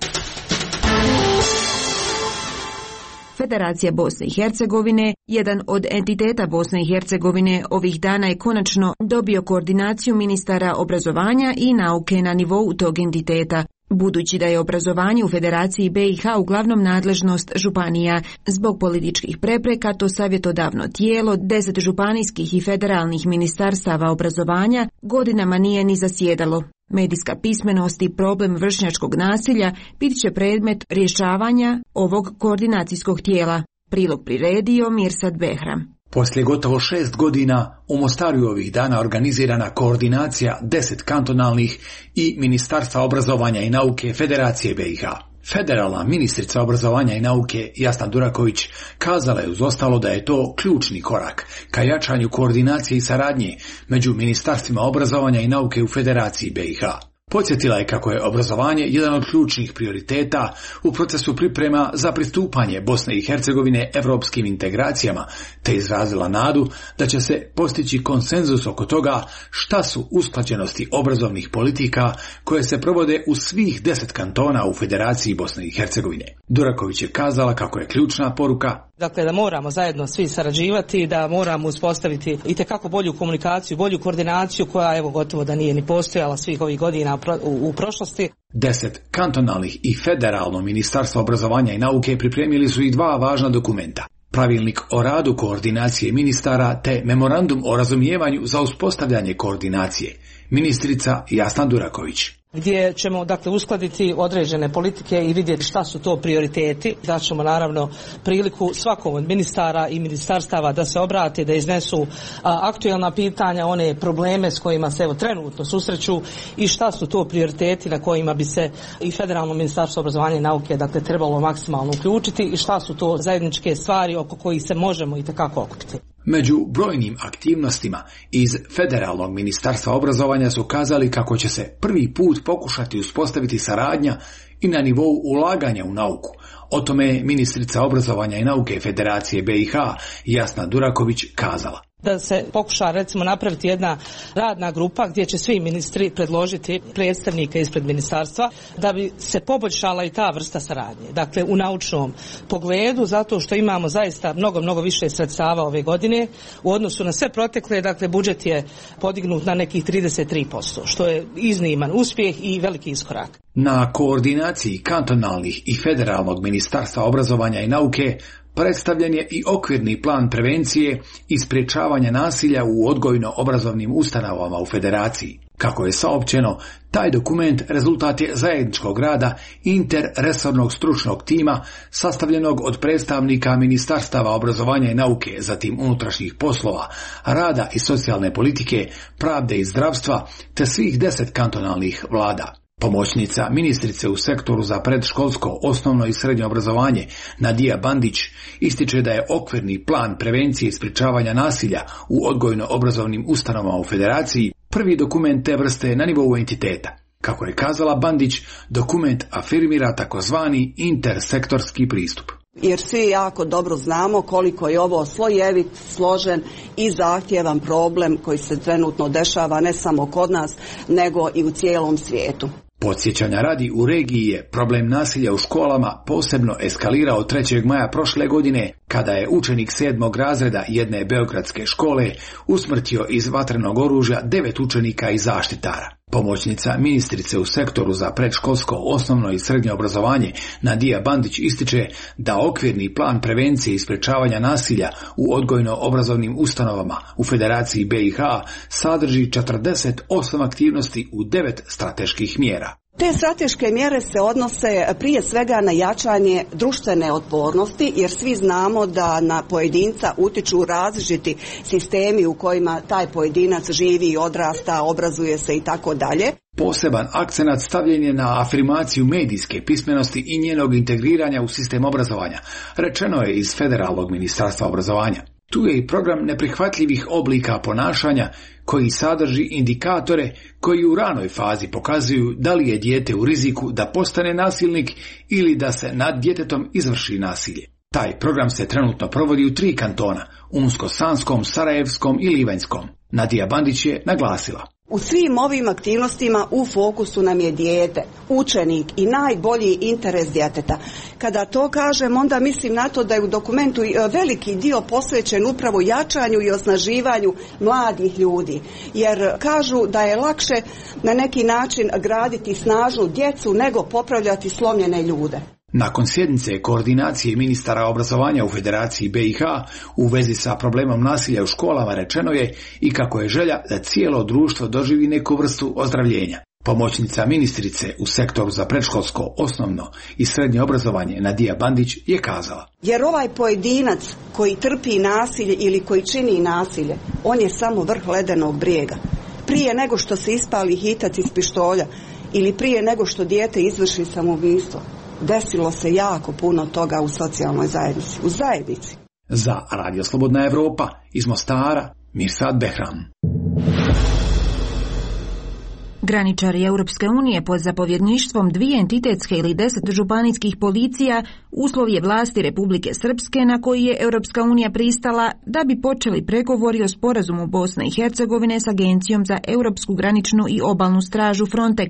Federacija Bosne i Hercegovine, jedan od entiteta Bosne i Hercegovine, ovih dana je konačno dobio koordinaciju ministara obrazovanja i nauke na nivou tog entiteta. Budući da je obrazovanje u Federaciji B i H uglavnom nadležnost županija, zbog političkih prepreka to savjetodavno tijelo, deset županijskih i federalnih ministarstava obrazovanja godinama nije ni zasjedalo. Medijska pismenost i problem vršnjačkog nasilja bit će predmet rješavanja ovog koordinacijskog tijela. Prilog priredio Mirsad Behram. Poslije gotovo šest godina u Mostaru ovih dana organizirana koordinacija deset kantonalnih i Ministarstva obrazovanja i nauke Federacije B i H. Federalna ministrica obrazovanja i nauke Jasna Duraković kazala je uz ostalo da je to ključni korak ka jačanju koordinacije i saradnje među ministarstvima obrazovanja i nauke u Federaciji B i H. Podsjetila je kako je obrazovanje jedan od ključnih prioriteta u procesu priprema za pristupanje Bosne i Hercegovine evropskim integracijama, te izrazila nadu da će se postići konsenzus oko toga šta su usklađenosti obrazovnih politika koje se provode u svih deset kantona u Federaciji Bosne i Hercegovine. Duraković je kazala kako je ključna poruka Dakle, da moramo zajedno svi sarađivati, da moramo uspostaviti itekako bolju komunikaciju, bolju koordinaciju koja evo gotovo da nije ni postojala svih ovih godina u, u prošlosti. Deset kantonalnih i federalno ministarstvo obrazovanja i nauke pripremili su i dva važna dokumenta. Pravilnik o radu koordinacije ministara te memorandum o razumijevanju za uspostavljanje koordinacije. Ministrica Jasna Duraković. Gdje ćemo dakle uskladiti određene politike i vidjeti šta su to prioriteti. Daćemo naravno priliku svakom od ministara i ministarstava da se obrate, da iznesu a, aktuelna pitanja, one probleme s kojima se evo trenutno susreću i šta su to prioriteti na kojima bi se i Federalno ministarstvo obrazovanja i nauke dakle trebalo maksimalno uključiti i šta su to zajedničke stvari oko kojih se možemo i takako okupiti. Među brojnim aktivnostima iz Federalnog ministarstva obrazovanja su kazali kako će se prvi put pokušati uspostaviti saradnja i na nivou ulaganja u nauku. O tome je ministrica obrazovanja i nauke Federacije B i H Jasna Duraković kazala. Da se pokuša recimo napraviti jedna radna grupa gdje će svi ministri predložiti predstavnike ispred ministarstva da bi se poboljšala i ta vrsta saradnje. Dakle, u naučnom pogledu, zato što imamo zaista mnogo, mnogo više sredstava ove godine u odnosu na sve protekle, dakle budžet je podignut na nekih trideset tri posto, što je izniman uspjeh i veliki iskorak. Na koordinaciji kantonalnih i federalnog ministarstva obrazovanja i nauke predstavljen je i okvirni plan prevencije i sprječavanja nasilja u odgojno-obrazovnim ustanovama u Federaciji. Kako je saopćeno, taj dokument rezultat je zajedničkog rada interresornog stručnog tima sastavljenog od predstavnika ministarstava obrazovanja i nauke, zatim unutrašnjih poslova, rada i socijalne politike, pravde i zdravstva, te svih deset kantonalnih vlada. Pomoćnica ministrice u sektoru za predškolsko, osnovno i srednje obrazovanje Nadija Bandić ističe da je okvirni plan prevencije i sprječavanja nasilja u odgojno-obrazovnim ustanovama u Federaciji prvi dokument te vrste na nivou entiteta. Kako je kazala Bandić, dokument afirmira takozvani intersektorski pristup. Jer svi jako dobro znamo koliko je ovo slojevit, složen i zahtjevan problem koji se trenutno dešava ne samo kod nas, nego i u cijelom svijetu. Podsjećanja radi, u regiji je problem nasilja u školama posebno eskalirao trećeg maja prošle godine, kada je učenik sedmog razreda jedne beogradske škole usmrtio iz vatrenog oružja devet učenika i zaštitara. Pomoćnica ministrice u sektoru za predškolsko, osnovno i srednje obrazovanje Nadija Bandić ističe da okvirni plan prevencije i sprječavanja nasilja u odgojno-obrazovnim ustanovama u Federaciji B i H sadrži četrdeset osam aktivnosti u devet strateških mjera. Te strateške mjere se odnose prije svega na jačanje društvene otpornosti, jer svi znamo da na pojedinca utiču različiti sistemi u kojima taj pojedinac živi, odrasta, obrazuje se i tako dalje. Poseban akcenat stavljen je na afirmaciju medijske pismenosti i njenog integriranja u sistem obrazovanja, rečeno je iz Federalnog ministarstva obrazovanja. Tu je i program neprihvatljivih oblika ponašanja koji sadrži indikatore koji u ranoj fazi pokazuju da li je dijete u riziku da postane nasilnik ili da se nad djetetom izvrši nasilje. Taj program se trenutno provodi u tri kantona, Unsko-Sanskom, Sarajevskom i Livanjskom. Nadija Bandić je naglasila: u svim ovim aktivnostima u fokusu nam je dijete, učenik i najbolji interes djeteta. Kada to kažem, onda mislim na to da je u dokumentu veliki dio posvećen upravo jačanju i osnaživanju mladih ljudi. Jer kažu da je lakše na neki način graditi snažnu djecu nego popravljati slomljene ljude. Nakon sjednice koordinacije ministara obrazovanja u Federaciji B i H u vezi sa problemom nasilja u školama rečeno je i kako je želja da cijelo društvo doživi neku vrstu ozdravljenja. Pomoćnica ministrice u sektoru za predškolsko, osnovno i srednje obrazovanje Nadija Bandić je kazala: jer ovaj pojedinac koji trpi nasilje ili koji čini nasilje, on je samo vrh ledenog brijega. Prije nego što se ispali hitac iz pištolja ili prije nego što dijete izvrši samoubistvo, desilo se jako puno toga u socijalnoj zajednici, u zajednici. Za Radio Slobodna Evropa iz Mostara, Mirsad Behram. Graničari Europske unije pod zapovjedništvom dvije entitetske ili deset županijskih policija uslov je vlasti Republike Srpske na koji je Europska unija pristala da bi počeli pregovori o sporazumu Bosne i Hercegovine s Agencijom za Europsku graničnu i obalnu stražu Frontex.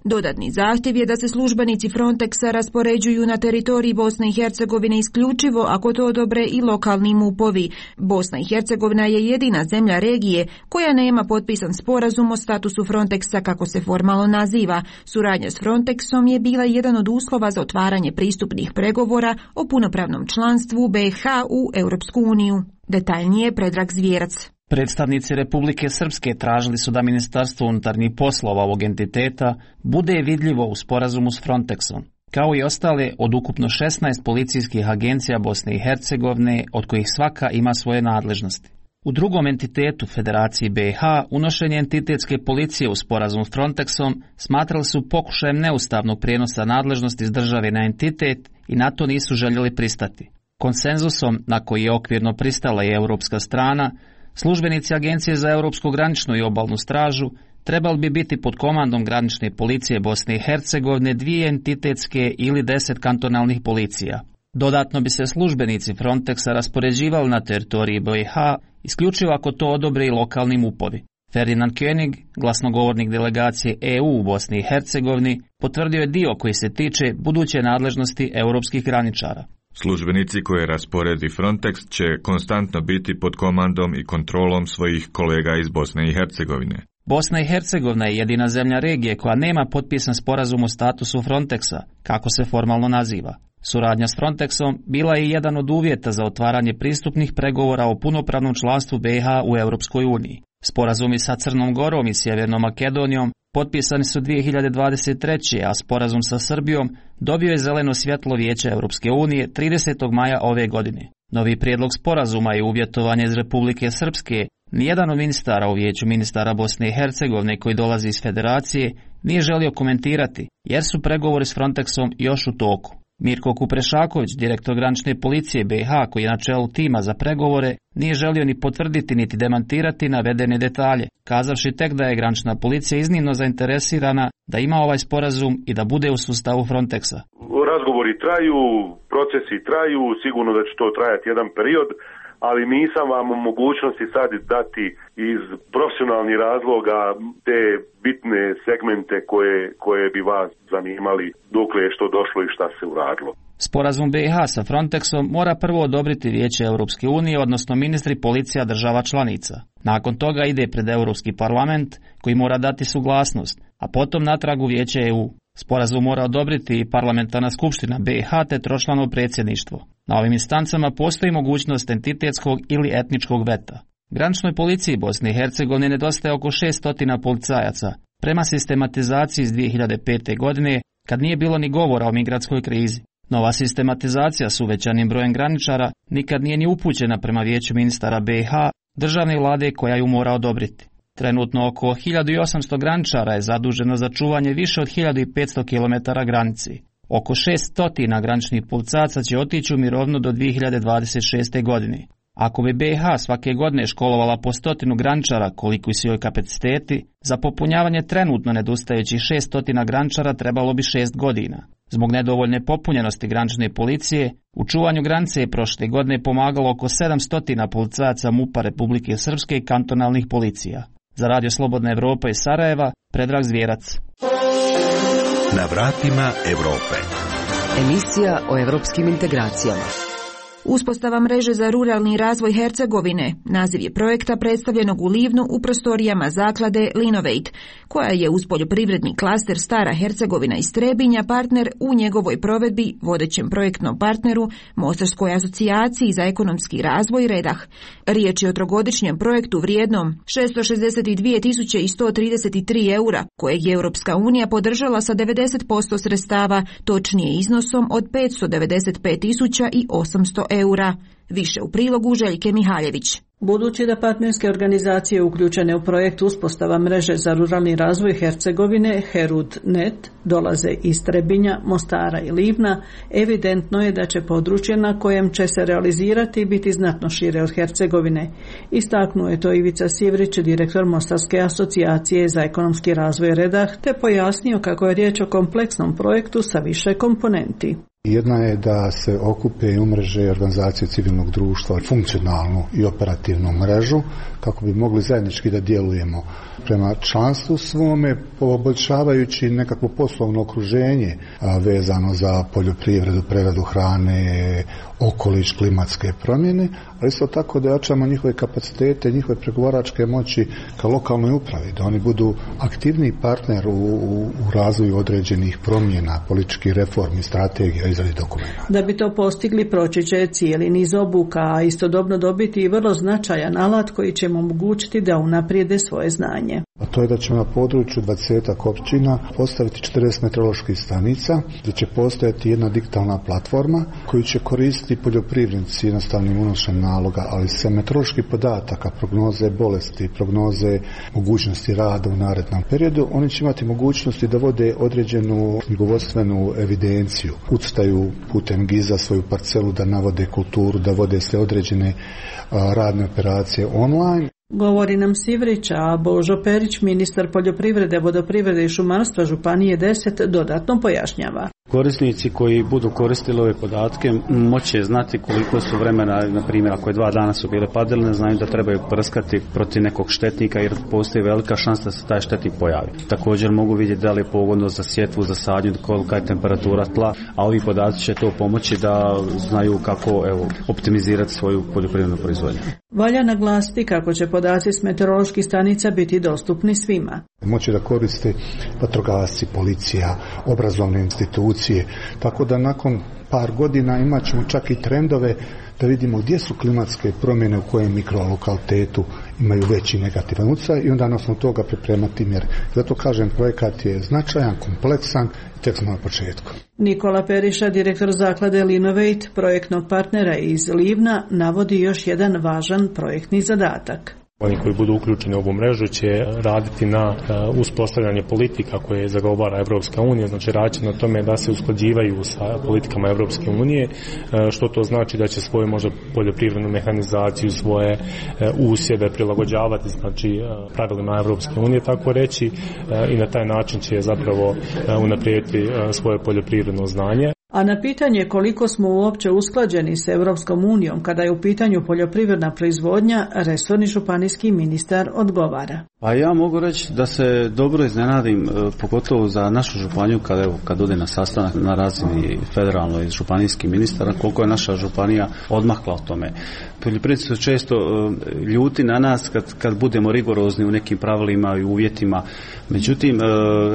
Dodatni zahtjev je da se službenici Frontexa raspoređuju na teritoriji Bosne i Hercegovine isključivo ako to odobre i lokalni mupovi. Bosna i Hercegovina je jedina zemlja regije koja nema potpisan sporazum o statusu Frontexa, kako se formalno naziva. Suradnja s Frontexom je bila jedan od uslova za otvaranje pristupnih pregovora o punopravnom članstvu B i H u Europsku uniju. Detaljnije Predrag Zvijerac. Predstavnici Republike Srpske tražili su da Ministarstvo unutarnjih poslova ovog entiteta bude vidljivo u sporazumu s Frontexom, kao i ostale od ukupno šesnaest policijskih agencija Bosne i Hercegovine, od kojih svaka ima svoje nadležnosti. U drugom entitetu Federaciji B i H unošenje entitetske policije u sporazum s Frontexom smatrali su pokušajem neustavnog prijenosa nadležnosti iz države na entitet i na to nisu željeli pristati. Konsenzusom na koji je okvirno pristala i europska strana, službenici Agencije za Europsku graničnu i obalnu stražu trebali bi biti pod komandom granične policije Bosne i Hercegovine dvije entitetske ili deset kantonalnih policija. Dodatno bi se službenici Frontexa raspoređivali na teritoriji B i H isključivo ako to odobre i lokalni mupovi. Ferdinand König, glasnogovornik delegacije E U u Bosni i Hercegovini, potvrdio je dio koji se tiče buduće nadležnosti europskih graničara. Službenici koje rasporedi Frontex će konstantno biti pod komandom i kontrolom svojih kolega iz Bosne i Hercegovine. Bosna i Hercegovina je jedina zemlja regije koja nema potpisan sporazum o statusu Frontexa, kako se formalno naziva. Suradnja s Frontexom bila je jedan od uvjeta za otvaranje pristupnih pregovora o punopravnom članstvu B iH u Europskoj uniji. Sporazumi sa Crnom Gorom i Sjevernom Makedonijom potpisani su dvije hiljade dvadeset treće. a sporazum sa Srbijom dobio je zeleno svjetlo Vijeća Europske unije tridesetog maja ove godine. Novi prijedlog sporazuma je uvjetovanje iz Republike Srpske. Nijedan od ministara u Vijeću ministara Bosne i Hercegovine koji dolazi iz Federacije nije želio komentirati, jer su pregovori s Frontexom još u toku. Mirko Kuprešaković, direktor granične policije B iH, koji je na čelu tima za pregovore, nije želio ni potvrditi niti demantirati navedene detalje, kazavši tek da je granična policija iznimno zainteresirana da ima ovaj sporazum i da bude u sustavu Frontexa. Razgovori traju, procesi traju, sigurno da će to trajati jedan period, ali nisam vam u mogućnosti sad dati iz profesionalnih razloga te bitne segmente koje, koje bi vas zanimali dokle je što došlo i šta se uradilo. Sporazum B iH sa Frontexom mora prvo odobriti Vijeće Europske unije, odnosno ministri policija država članica. Nakon toga ide pred Europski parlament koji mora dati suglasnost, a potom natrag u Vijeće E U. Sporazum mora odobriti i parlamentarna skupština B iH te tročlano predsjedništvo. Na ovim instancama postoji mogućnost entitetskog ili etničkog veta. Graničnoj policiji Bosne i Hercegovine nedostaje oko šesto policajaca, prema sistematizaciji iz dvije hiljade pete. godine, kad nije bilo ni govora o migratskoj krizi. Nova sistematizacija s uvećanim brojem graničara nikad nije ni upućena prema Vijeću ministara B iH, državne vlade koja ju mora odobriti. Trenutno oko hiljadu osamsto graničara je zaduženo za čuvanje više od hiljadu petsto kilometara granici. Oko šesto graničnih policajaca će otići u mirovinu do dvije hiljade dvadeset šeste. godine. Ako bi B iH svake godine školovala po stotinu graničara koliko su joj kapaciteti, za popunjavanje trenutno nedostajućih šesto graničara trebalo bi šest godina. Zbog nedovoljne popunjenosti granične policije, u čuvanju granice je prošle godine pomagalo oko sedamsto policajaca MUP-a Republike Srpske i kantonalnih policija. Za Radio Slobodna Evropa iz Sarajeva, Predrag Zvjerac. Na vratima Evrope. Emisija o evropskim integracijama. Uspostava mreže za ruralni razvoj Hercegovine, naziv je projekta predstavljenog u Livnu u prostorijama zaklade Linovate, koja je uz poljoprivredni klaster Stara Hercegovina iz Trebinja partner u njegovoj provedbi vodećem projektnom partneru Mostarskoj asocijaciji za ekonomski razvoj Redah. Riječ je o trogodišnjem projektu vrijednom šesto šezdeset dvije tisuće sto trideset tri eura, kojeg je Europska unija podržala sa devedeset posto sredstava, točnije iznosom od petsto devedeset pet tisuća osamsto eura. Više u prilogu Željke Mihaljević. Budući da partnerske organizacije uključene u projekt uspostava mreže za ruralni razvoj Hercegovine Herud punkt net dolaze iz Trebinja, Mostara i Livna, evidentno je da će područje na kojem će se realizirati biti znatno šire od Hercegovine. Istaknuo je to Ivica Sivrić, direktor Mostarske asocijacije za ekonomski razvoj Redah, te pojasnio kako je riječ o kompleksnom projektu sa više komponenti. Jedna je da se okupe i umreže organizacije civilnog društva, funkcionalnu i operativnu mrežu, kako bi mogli zajednički da djelujemo prema članstvu svome, poboljšavajući nekakvo poslovno okruženje vezano za poljoprivredu, preradu hrane, okoliš, klimatske promjene, ali isto tako da jačamo njihove kapacitete, njihove pregovaračke moći ka lokalnoj upravi, da oni budu aktivni partner u, u, u razvoju određenih promjena, političkih reformi, strategija, izradi dokumenta. Da bi to postigli, proći će cijeli niz obuka, a istodobno dobiti i vrlo značajan alat koji će mu omogućiti da unaprijede svoje znanje. A to je da ćemo na području dvadesetak općina postaviti četrdeset meteoroloških stanica, gdje će postojati jedna digitalna platforma koju će koristiti poljoprivrednici jednostavnim unošenjem naloga, ali se meteoroloških podataka, prognoze bolesti, prognoze mogućnosti rada u narednom periodu, oni će imati mogućnosti da vode određenu knjigovodstvenu evidenciju, ucrtaju putem giza svoju parcelu, da navode kulturu, da vode sve određene a, radne operacije online. Govori nam Sivrić, a Božo Perić, ministar poljoprivrede, vodoprivrede i šumarstva Županije deset, dodatno pojašnjava. Korisnici koji budu koristili ove podatke moće znati koliko su vremena, na primjer ako je dva dana su bile padaline, znaju da trebaju prskati protiv nekog štetnika jer postoji velika šansa da se taj štetnik pojavi. Također mogu vidjeti da li je pogodno za sjetvu, za sadnju, kolika je temperatura tla, a ovi podaci će to pomoći da znaju kako evo, optimizirati svoju poljoprivrednu proizvodnju. Valja naglasiti kako će podaci s meteoroloških stanica biti dostupni svima. Moći da koriste vatrogasci, policija, obrazovne institucije, tako da nakon par godina imat ćemo čak i trendove da vidimo gdje su klimatske promjene u kojem mikrolokalitetu imaju veći negativan utjecaj i onda na osnovu toga pripremati mjere. Zato kažem, projekat je značajan, kompleksan i tek smo na početku. Nikola Periša, direktor zaklade Linovate, projektnog partnera iz Livna, navodi još jedan važan projektni zadatak. Oni koji budu uključeni u ovu mrežu će raditi na uh, uspostavljanje politika koje zagovara Evropska unija, znači raditi na tome da se usklađivaju sa politikama Evropske unije, uh, što to znači da će svoju možda poljoprivrednu mehanizaciju, svoje uh, usjeve prilagođavati, znači uh, pravilima Evropske unije, tako reći, uh, i na taj način će zapravo uh, unaprijediti uh, svoje poljoprivredno znanje. A na pitanje koliko smo uopće usklađeni s Europskom unijom kada je u pitanju poljoprivredna proizvodnja, resorni županijski ministar odgovara. Pa ja mogu reći da se dobro iznenadim, pogotovo za našu županiju kada, evo, kad ode na sastanak na razini federalnoj i županijskih ministara, koliko je naša županija odmakla o tome. Poljoprivrednici su često ljuti na nas kad, kad budemo rigorozni u nekim pravilima i uvjetima. Međutim,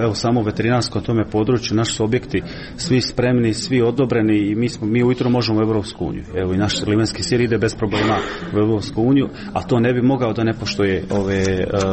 evo samo u veterinarskom tome području, naši su objekti svi spremni, svi odobreni i mi, smo, mi ujutro možemo u Europsku uniju. Evo i naš limenski sir ide bez problema u Europsku uniju, a to ne bi mogao da ne poštuje ove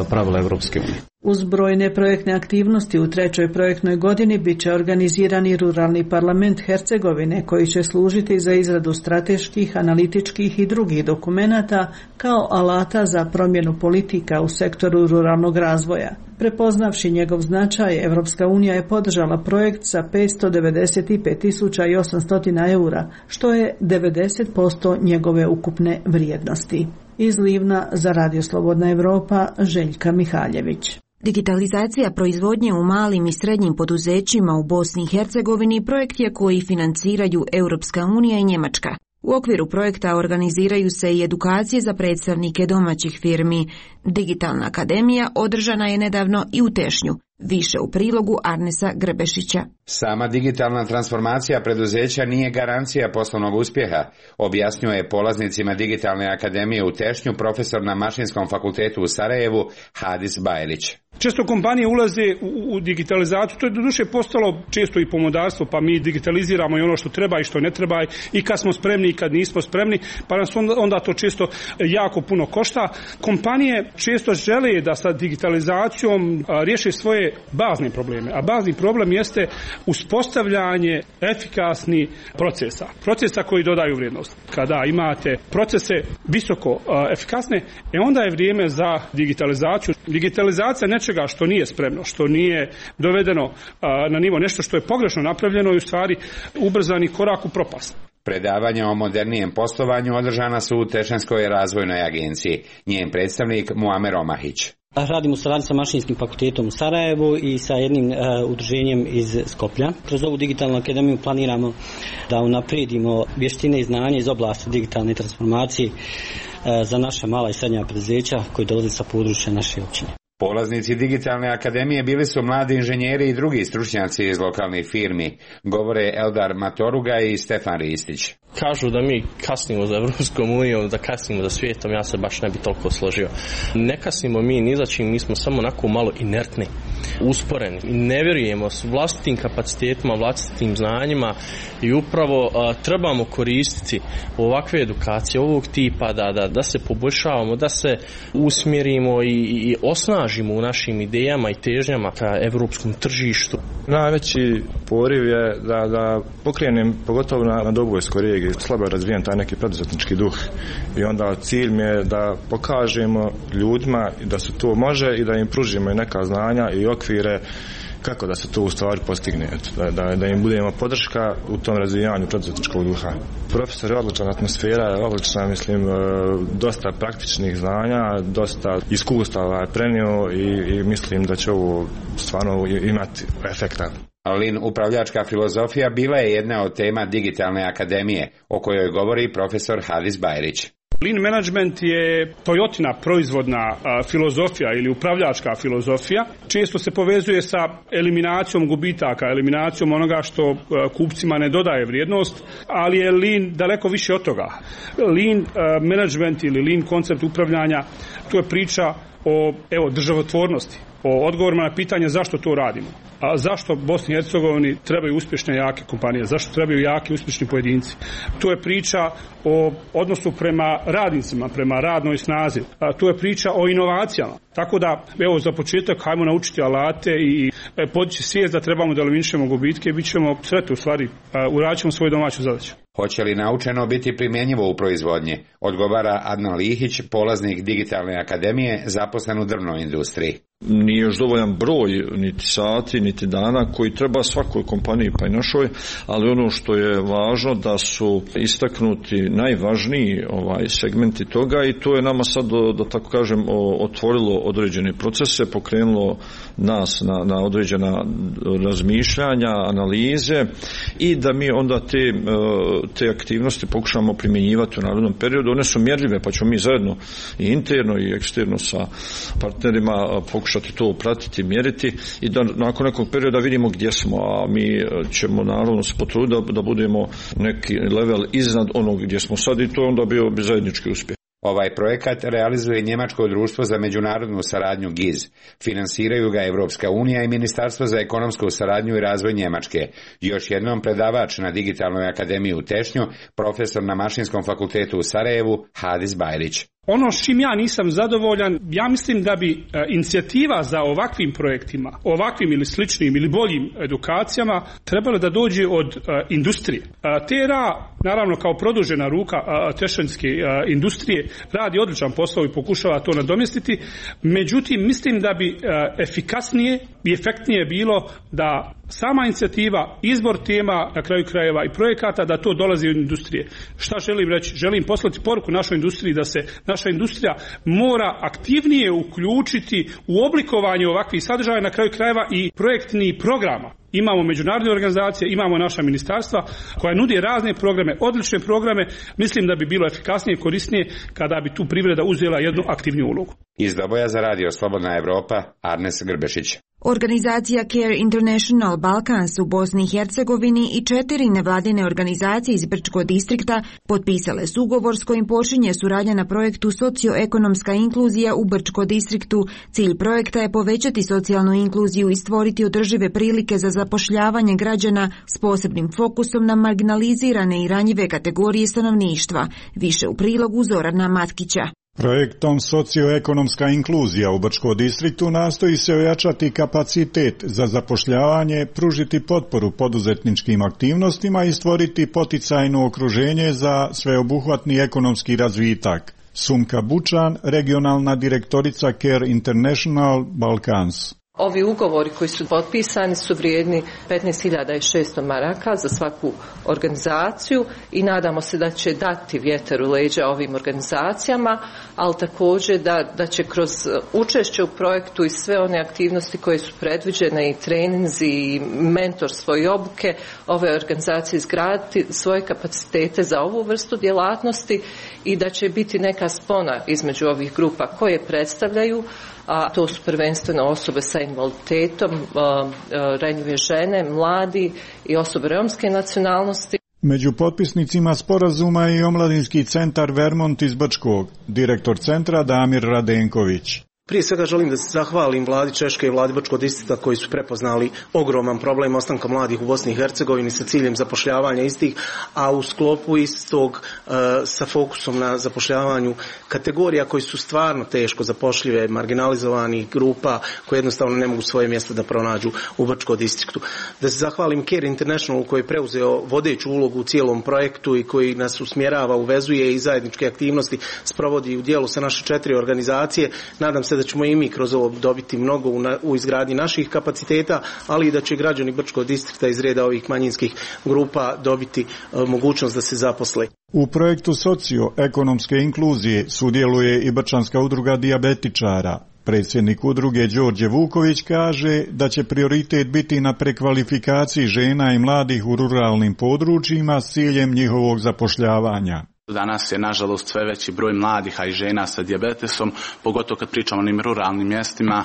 pravila Europske unije. Uz brojne projektne aktivnosti u trećoj projektnoj godini bit će organizirani ruralni parlament Hercegovine koji će služiti za izradu strateških, analitičkih i drugih dokumenata kao alata za promjenu politika u sektoru ruralnog razvoja. Prepoznavši njegov značaj, Evropska unija je podržala projekt sa petsto devedeset pet tisuća osamsto eura, što je devedeset posto njegove ukupne vrijednosti. Iz Livna za Radio Slobodna Evropa, Željka Mihaljević. Digitalizacija proizvodnje u malim i srednjim poduzećima u Bosni i Hercegovini projekt je koji financiraju Europska unija i Njemačka. U okviru projekta organiziraju se i edukacije za predstavnike domaćih firmi. Digitalna akademija održana je nedavno i u Tešnju. Više u prilogu Arnesa Grebešića. Sama digitalna transformacija preduzeća nije garancija poslovnog uspjeha, objasnjuje polaznicima Digitalne akademije u Tešnju profesor na Mašinskom fakultetu u Sarajevu Hadis Bajlić. Često kompanije ulaze u, u digitalizaciju, to je doduše postalo često i pomodarstvo, pa mi digitaliziramo i ono što treba i što ne treba i kad smo spremni i kad nismo spremni, pa nas onda, onda to često jako puno košta. Kompanije često žele da sa digitalizacijom a, riješe svoje bazne probleme, a bazni problem jeste uspostavljanje efikasnih procesa, procesa koji dodaju vrijednost. Kada imate procese visoko a, efikasne, e onda je vrijeme za digitalizaciju. Digitalizacija nečega što nije spremno, što nije dovedeno a, na nivo, nešto što je pogrešno napravljeno i u stvari ubrzani korak u propast. Predavanja o modernijem poslovanju održana su u Tešanskoj razvojnoj agenciji. Njen predstavnik Muamer Omahić. Radim u saradnji sa Mašinskim fakultetom u Sarajevu i sa jednim uh, udruženjem iz Skoplja. Kroz ovu digitalnu akademiju planiramo da unaprijedimo vještine i znanje iz oblasti digitalne transformacije uh, za naša mala i srednja preduzeća koji dolaze sa područja naše općine. Polaznici Digitalne akademije bili su mladi inženjeri i drugi stručnjaci iz lokalnih firmi, govore Eldar Matoruga i Stefan Ristić. Kažu da mi kasnimo za Evropskom unijom, da kasnimo za svijetom, ja se baš ne bi toliko složio. Ne kasnimo mi ni za čim, mi smo samo onako malo inertni, usporeni. Ne vjerujemo s vlastitim kapacitetima, vlastitim znanjima i upravo a, trebamo koristiti ovakve edukacije ovog tipa da, da, da se poboljšavamo, da se usmjerimo i, i osnažimo u našim idejama i težnjama ka evropskom tržištu. Najveći poriv je da, da pokrenem, pogotovo na, na Dobojskoj regiji, slabo je razvijen taj neki preduzetnički duh i onda cilj mi je da pokažemo ljudima da se to može i da im pružimo i neka znanja i okvire kako da se to u stvari postigne, da, da, da im budemo podrška u tom razvijanju preduzetničkog duha. Profesor je odlična, atmosfera je odlična, mislim, dosta praktičnih znanja, dosta iskustava je prenio i, i mislim da će ovo stvarno imati efekta. Lean upravljačka filozofija bila je jedna od tema Digitalne akademije, o kojoj govori profesor Hadis Bajrić. Lean management je Toyotina proizvodna a, filozofija ili upravljačka filozofija. Često se povezuje sa eliminacijom gubitaka, eliminacijom onoga što a, kupcima ne dodaje vrijednost, ali je Lean daleko više od toga. Lean a, management ili Lean koncept upravljanja, to je priča o evo, državotvornosti, o odgovorima na pitanje zašto to radimo. A zašto Bosni i Hercegovini trebaju uspješne jake kompanije? Zašto trebaju jaki uspješni pojedinci? Tu je priča o odnosu prema radnicima, prema radnoj snazi. A tu je priča o inovacijama. Tako da, evo, za početak, hajmo naučiti alate i podići svijest da trebamo da eliminišemo gubitke i bit ćemo sretni, u stvari, uradit ćemo svoju domaću zadaću. Hoće li naučeno biti primjenjivo u proizvodnji? Odgovara Adnan Lihić, polaznik Digitalne akademije, zaposlen u drvnoj industriji. Nije još dovoljan broj niti sati, niti dana koji treba svakoj kompaniji pa i našoj, ali ono što je važno da su istaknuti najvažniji ovaj segmenti toga i to je nama sad, da tako kažem, otvorilo određene procese, pokrenulo nas na, na određena razmišljanja, analize i da mi onda te, te aktivnosti pokušamo primjenjivati u narednom periodu. One su mjerljive pa ćemo mi zajedno i interno i eksterno sa partnerima pokušati to pratiti, mjeriti i da nakon nekog perioda vidimo gdje smo, a mi ćemo naravno se potruditi da, da budemo neki level iznad onog gdje smo sad i to onda bio bi zajednički uspjeh. Ovaj projekat realizuje Njemačko društvo za međunarodnu saradnju G I Z. Finansiraju ga Evropska unija i Ministarstvo za ekonomsku saradnju i razvoj Njemačke. Još jednom predavač na Digitalnoj akademiji u Tešnju, profesor na Mašinskom fakultetu u Sarajevu, Hadis Bajrić. Ono s čim ja nisam zadovoljan, ja mislim da bi e, inicijativa za ovakvim projektima, ovakvim ili sličnim ili boljim edukacijama trebala da dođe od e, industrije. E, T R A, naravno kao produžena ruka e, tešanjske e, industrije, radi odličan posao i pokušava to nadomjestiti, međutim mislim da bi e, efikasnije i efektnije bilo da sama inicijativa, izbor tema, na kraju krajeva i projekata, da to dolazi od industrije. Šta želim reći? Želim poslati poruku našoj industriji da se naša industrija mora aktivnije uključiti u oblikovanje ovakvih sadržaja, na kraju krajeva i projektnih programa. Imamo međunarodne organizacije, imamo naša ministarstva koja nudi razne programe, odlične programe. Mislim da bi bilo efikasnije i korisnije kada bi tu privreda uzela jednu aktivniju ulogu. Iz Doboja za radio Slobodna Evropa, Arnes Grbešić. Organizacija Care International Balkans u Bosni i Hercegovini i četiri nevladine organizacije iz Brčkog distrikta potpisale su ugovor s kojim počinje suradnja na projektu Socioekonomska inkluzija u Brčkom distriktu. Cilj projekta je povećati socijalnu inkluziju i stvoriti održive prilike za zapošljavanje građana s posebnim fokusom na marginalizirane i ranjive kategorije stanovništva. Više u prilogu Zorana Matkića. Projektom Socioekonomska inkluzija u Brčkom distriktu nastoji se ojačati kapacitet za zapošljavanje, pružiti potporu poduzetničkim aktivnostima i stvoriti poticajno okruženje za sveobuhvatni ekonomski razvitak. Sumka Bučan, regionalna direktorica Care International Balkans. Ovi ugovori koji su potpisani su vrijedni petnaest hiljada šesto maraka za svaku organizaciju i nadamo se da će dati vjetar u leđa ovim organizacijama, ali također da, da će kroz učešće u projektu i sve one aktivnosti koje su predviđene i treninzi i mentorstvo i obuke ove organizacije izgraditi svoje kapacitete za ovu vrstu djelatnosti i da će biti neka spona između ovih grupa koje predstavljaju, a to su prvenstveno osobe sa invaliditetom, ranjive žene, mladi i osobe romske nacionalnosti. Među potpisnicima sporazuma je i Omladinski centar Vermont iz Brčkog, direktor centra Damir Radenković. Prije svega želim da se zahvalim vladi Češke i vladi Brčkog distrikta koji su prepoznali ogroman problem ostanka mladih u Bosni i Hercegovini sa ciljem zapošljavanja istih, a u sklopu istog e, sa fokusom na zapošljavanju kategorija koji su stvarno teško zapošljive, marginalizovanih grupa koje jednostavno ne mogu svoje mjesto da pronađu u Brčkom distriktu. Da se zahvalim Care International koji je preuzeo vodeću ulogu u cijelom projektu i koji nas usmjerava, uvezuje i zajedničke aktivnosti sprovodi u dijelu sa naše četiri organizacije. Nadam se da ćemo i mi kroz ovo dobiti mnogo u, na, u izgradnji naših kapaciteta, ali i da će građani Brčkog distrikta iz reda ovih manjinskih grupa dobiti e, mogućnost da se zaposle. U projektu socioekonomske inkluzije sudjeluje i Brčanska udruga dijabetičara. Predsjednik udruge Đorđe Vuković kaže da će prioritet biti na prekvalifikaciji žena i mladih u ruralnim područjima s ciljem njihovog zapošljavanja. Danas je nažalost sve veći broj mladih, a i žena sa dijabetesom, pogotovo kad pričamo o onim ruralnim mjestima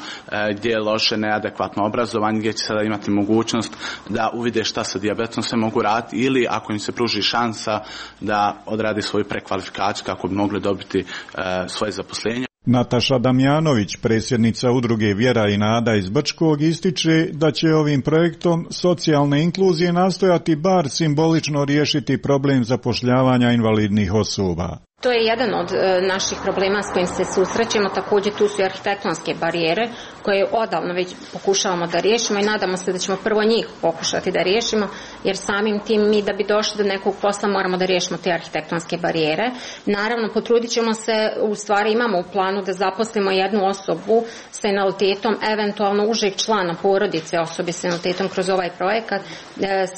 gdje je loše, neadekvatno obrazovanje, gdje će sada imati mogućnost da uvide šta sa dijabetesom se mogu raditi ili ako im se pruži šansa da odradi svoju prekvalifikaciju kako bi mogli dobiti svoje zaposlenje. Nataša Damjanović, predsjednica udruge Vjera i nada iz Brčkog, ističe da će ovim projektom socijalne inkluzije nastojati bar simbolično riješiti problem zapošljavanja invalidnih osoba. To je jedan od e, naših problema s kojim se susrećemo, također tu su i arhitektonske barijere koje odavno već pokušavamo da riješimo i nadamo se da ćemo prvo njih pokušati da riješimo, jer samim tim mi da bi došli do nekog posla moramo da riješimo te arhitektonske barijere. Naravno, potrudit ćemo se, u stvari imamo u planu da zaposlimo jednu osobu sa invaliditetom, eventualno užeg člana porodice osobe sa invaliditetom kroz ovaj projekat, e,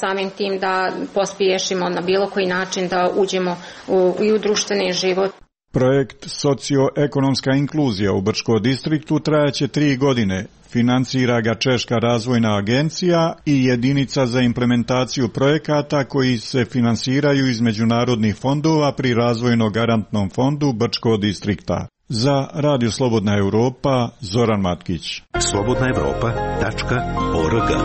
samim tim da pospješimo na bilo koji način da uđemo u, i u društveni život. Projekt Socioekonomska inkluzija u Brčkom distriktu trajaće tri godine. Financira ga Češka razvojna agencija i jedinica za implementaciju projekata koji se finansiraju iz međunarodnih fondova pri razvojno garantnom fondu Brčkog distrikta. Za Radio Slobodna Europa, Zoran Matkić. slobodna evropa tačka org.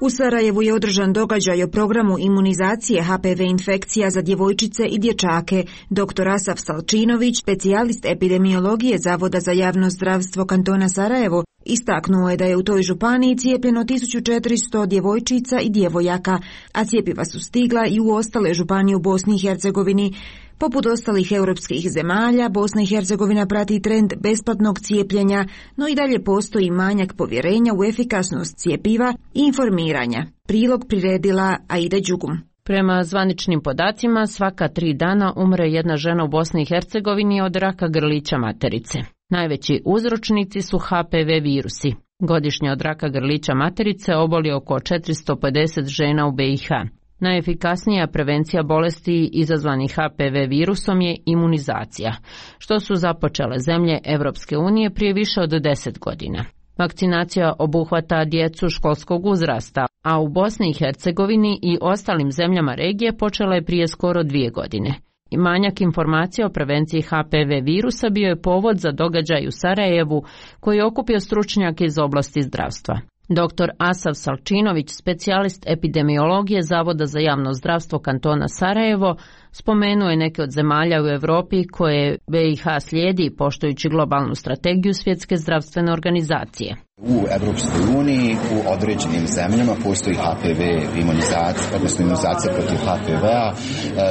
U Sarajevu je održan događaj o programu imunizacije H P V infekcija za djevojčice i dječake. doktor Asaf Salčinović, specijalist epidemiologije Zavoda za javno zdravstvo kantona Sarajevo, istaknuo je da je u toj županiji cijepljeno tisuću četiristo djevojčica i djevojaka, a cijepiva su stigla i u ostale županije u Bosni i Hercegovini. Poput ostalih europskih zemalja, Bosna i Hercegovina prati trend besplatnog cijepljenja, no i dalje postoji manjak povjerenja u efikasnost cijepiva i informiranja. Prilog priredila Aida Đugum. Prema zvaničnim podacima, svaka tri dana umre jedna žena u Bosni i Hercegovini od raka grlića materice. Najveći uzročnici su H P V virusi. Godišnje od raka grlića materice oboli oko četiristo pedeset žena u B i H. Najefikasnija prevencija bolesti izazvanih H P V virusom je imunizacija, što su započele zemlje Evropske unije prije više od deset godina. Vakcinacija obuhvata djecu školskog uzrasta, a u Bosni i Hercegovini i ostalim zemljama regije počela je prije skoro dvije godine. I manjak informacija o prevenciji H P V virusa bio je povod za događaj u Sarajevu koji je okupio stručnjake iz oblasti zdravstva. doktor Asaf Salčinović, specijalist epidemiologije Zavoda za javno zdravstvo kantona Sarajevo, spomenuo je neke od zemalja u Europi koje B i H slijedi poštujući globalnu strategiju Svjetske zdravstvene organizacije. U Evropskoj uniji u određenim zemljama postoji H P V imunizacija, odnosno imunizacija protiv H P V-a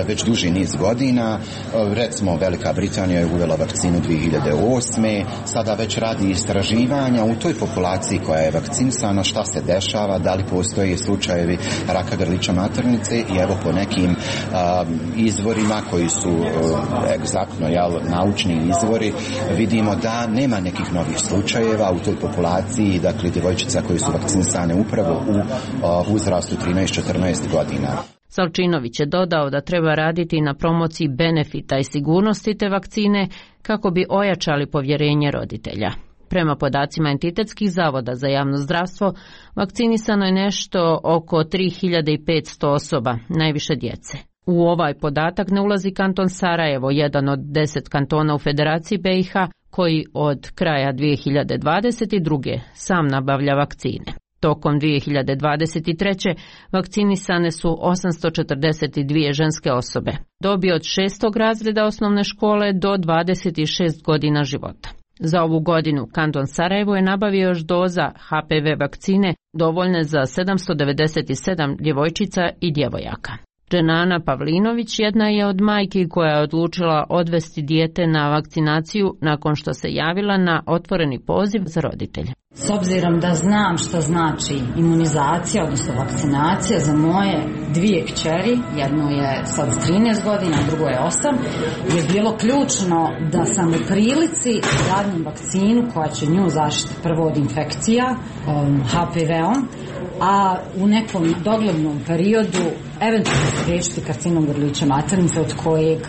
već duži niz godina. Recimo Velika Britanija je uvela vakcinu dvije hiljade osme. Sada već radi istraživanja u toj populaciji koja je vakcinisana, šta se dešava, da li postoje slučajevi raka grlića maternice i evo po nekim a, izvorima koji su egzaktno jel, naučni izvori vidimo da nema nekih novih slučajeva u toj populaciji. Dakle, djevojčica koji su vakcinisane upravo u uh, uzrastu trinaest četrnaest godina. Salčinović je dodao da treba raditi na promociji benefita i sigurnosti te vakcine kako bi ojačali povjerenje roditelja. Prema podacima entitetskih zavoda za javno zdravstvo, vakcinisano je nešto oko tri hiljade petsto osoba, najviše djece. U ovaj podatak ne ulazi kanton Sarajevo, jedan od deset kantona u Federaciji B i H, koji od kraja dvije hiljade dvadeset druge sam nabavlja vakcine. Tokom dvije hiljade dvadeset treće vakcinisane su osamsto četrdeset dvije ženske osobe, dobi od šestog razreda osnovne škole do dvadeset šest godina života. Za ovu godinu kanton Sarajevo je nabavio još doza H P V vakcine dovoljne za sedamsto devedeset sedam djevojčica i djevojaka. Dženana Pavlinović jedna je od majki koja je odlučila odvesti dijete na vakcinaciju nakon što se javila na otvoreni poziv za roditelje. S obzirom da znam što znači imunizacija, odnosno vakcinacija za moje dvije kćeri, jednu je sad trinaest godina, drugo je osam, je bilo ključno da sam u prilici da dadim vakcinu koja će nju zaštiti prvo od infekcija um, H P V-om, a u nekom doglednom periodu eventualno spriječiti karcinom grlića maternice od kojeg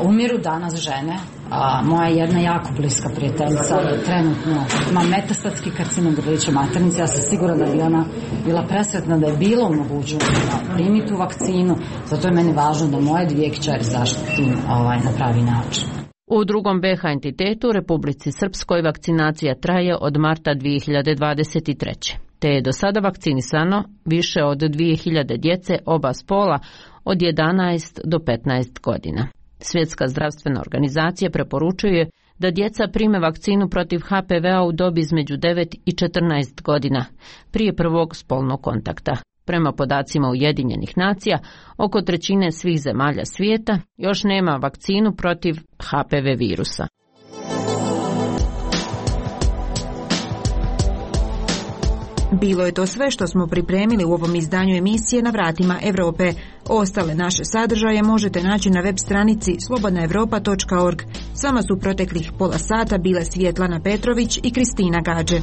umiru danas žene. A moja jedna jako bliska prijateljica je trenutno ima metastatski karcinom grlića maternice. Ja sam sigurna da bi ona bila presretna da je bilo mogućno da primi tu vakcinu. Zato je meni važno da moje dvije kćeri zaštitim ovaj, na pravi način. U drugom B H entitetu, Republici Srpskoj, vakcinacija traje od marta dvije hiljade dvadeset treće. Te je do sada vakcinisano više od dvije hiljade djece oba spola od jedanaest do petnaest godina. Svjetska zdravstvena organizacija preporučuje da djeca prime vakcinu protiv H P V-a u dobi između devet i četrnaest godina, prije prvog spolnog kontakta. Prema podacima Ujedinjenih nacija, oko trećine svih zemalja svijeta još nema vakcinu protiv H P V virusa. Bilo je to sve što smo pripremili u ovom izdanju emisije Na vratima Europe. Ostale naše sadržaje možete naći na web stranici slobodna europa točka org. S vama su proteklih pola sata bile Svjetlana Petrović i Kristina Gađe.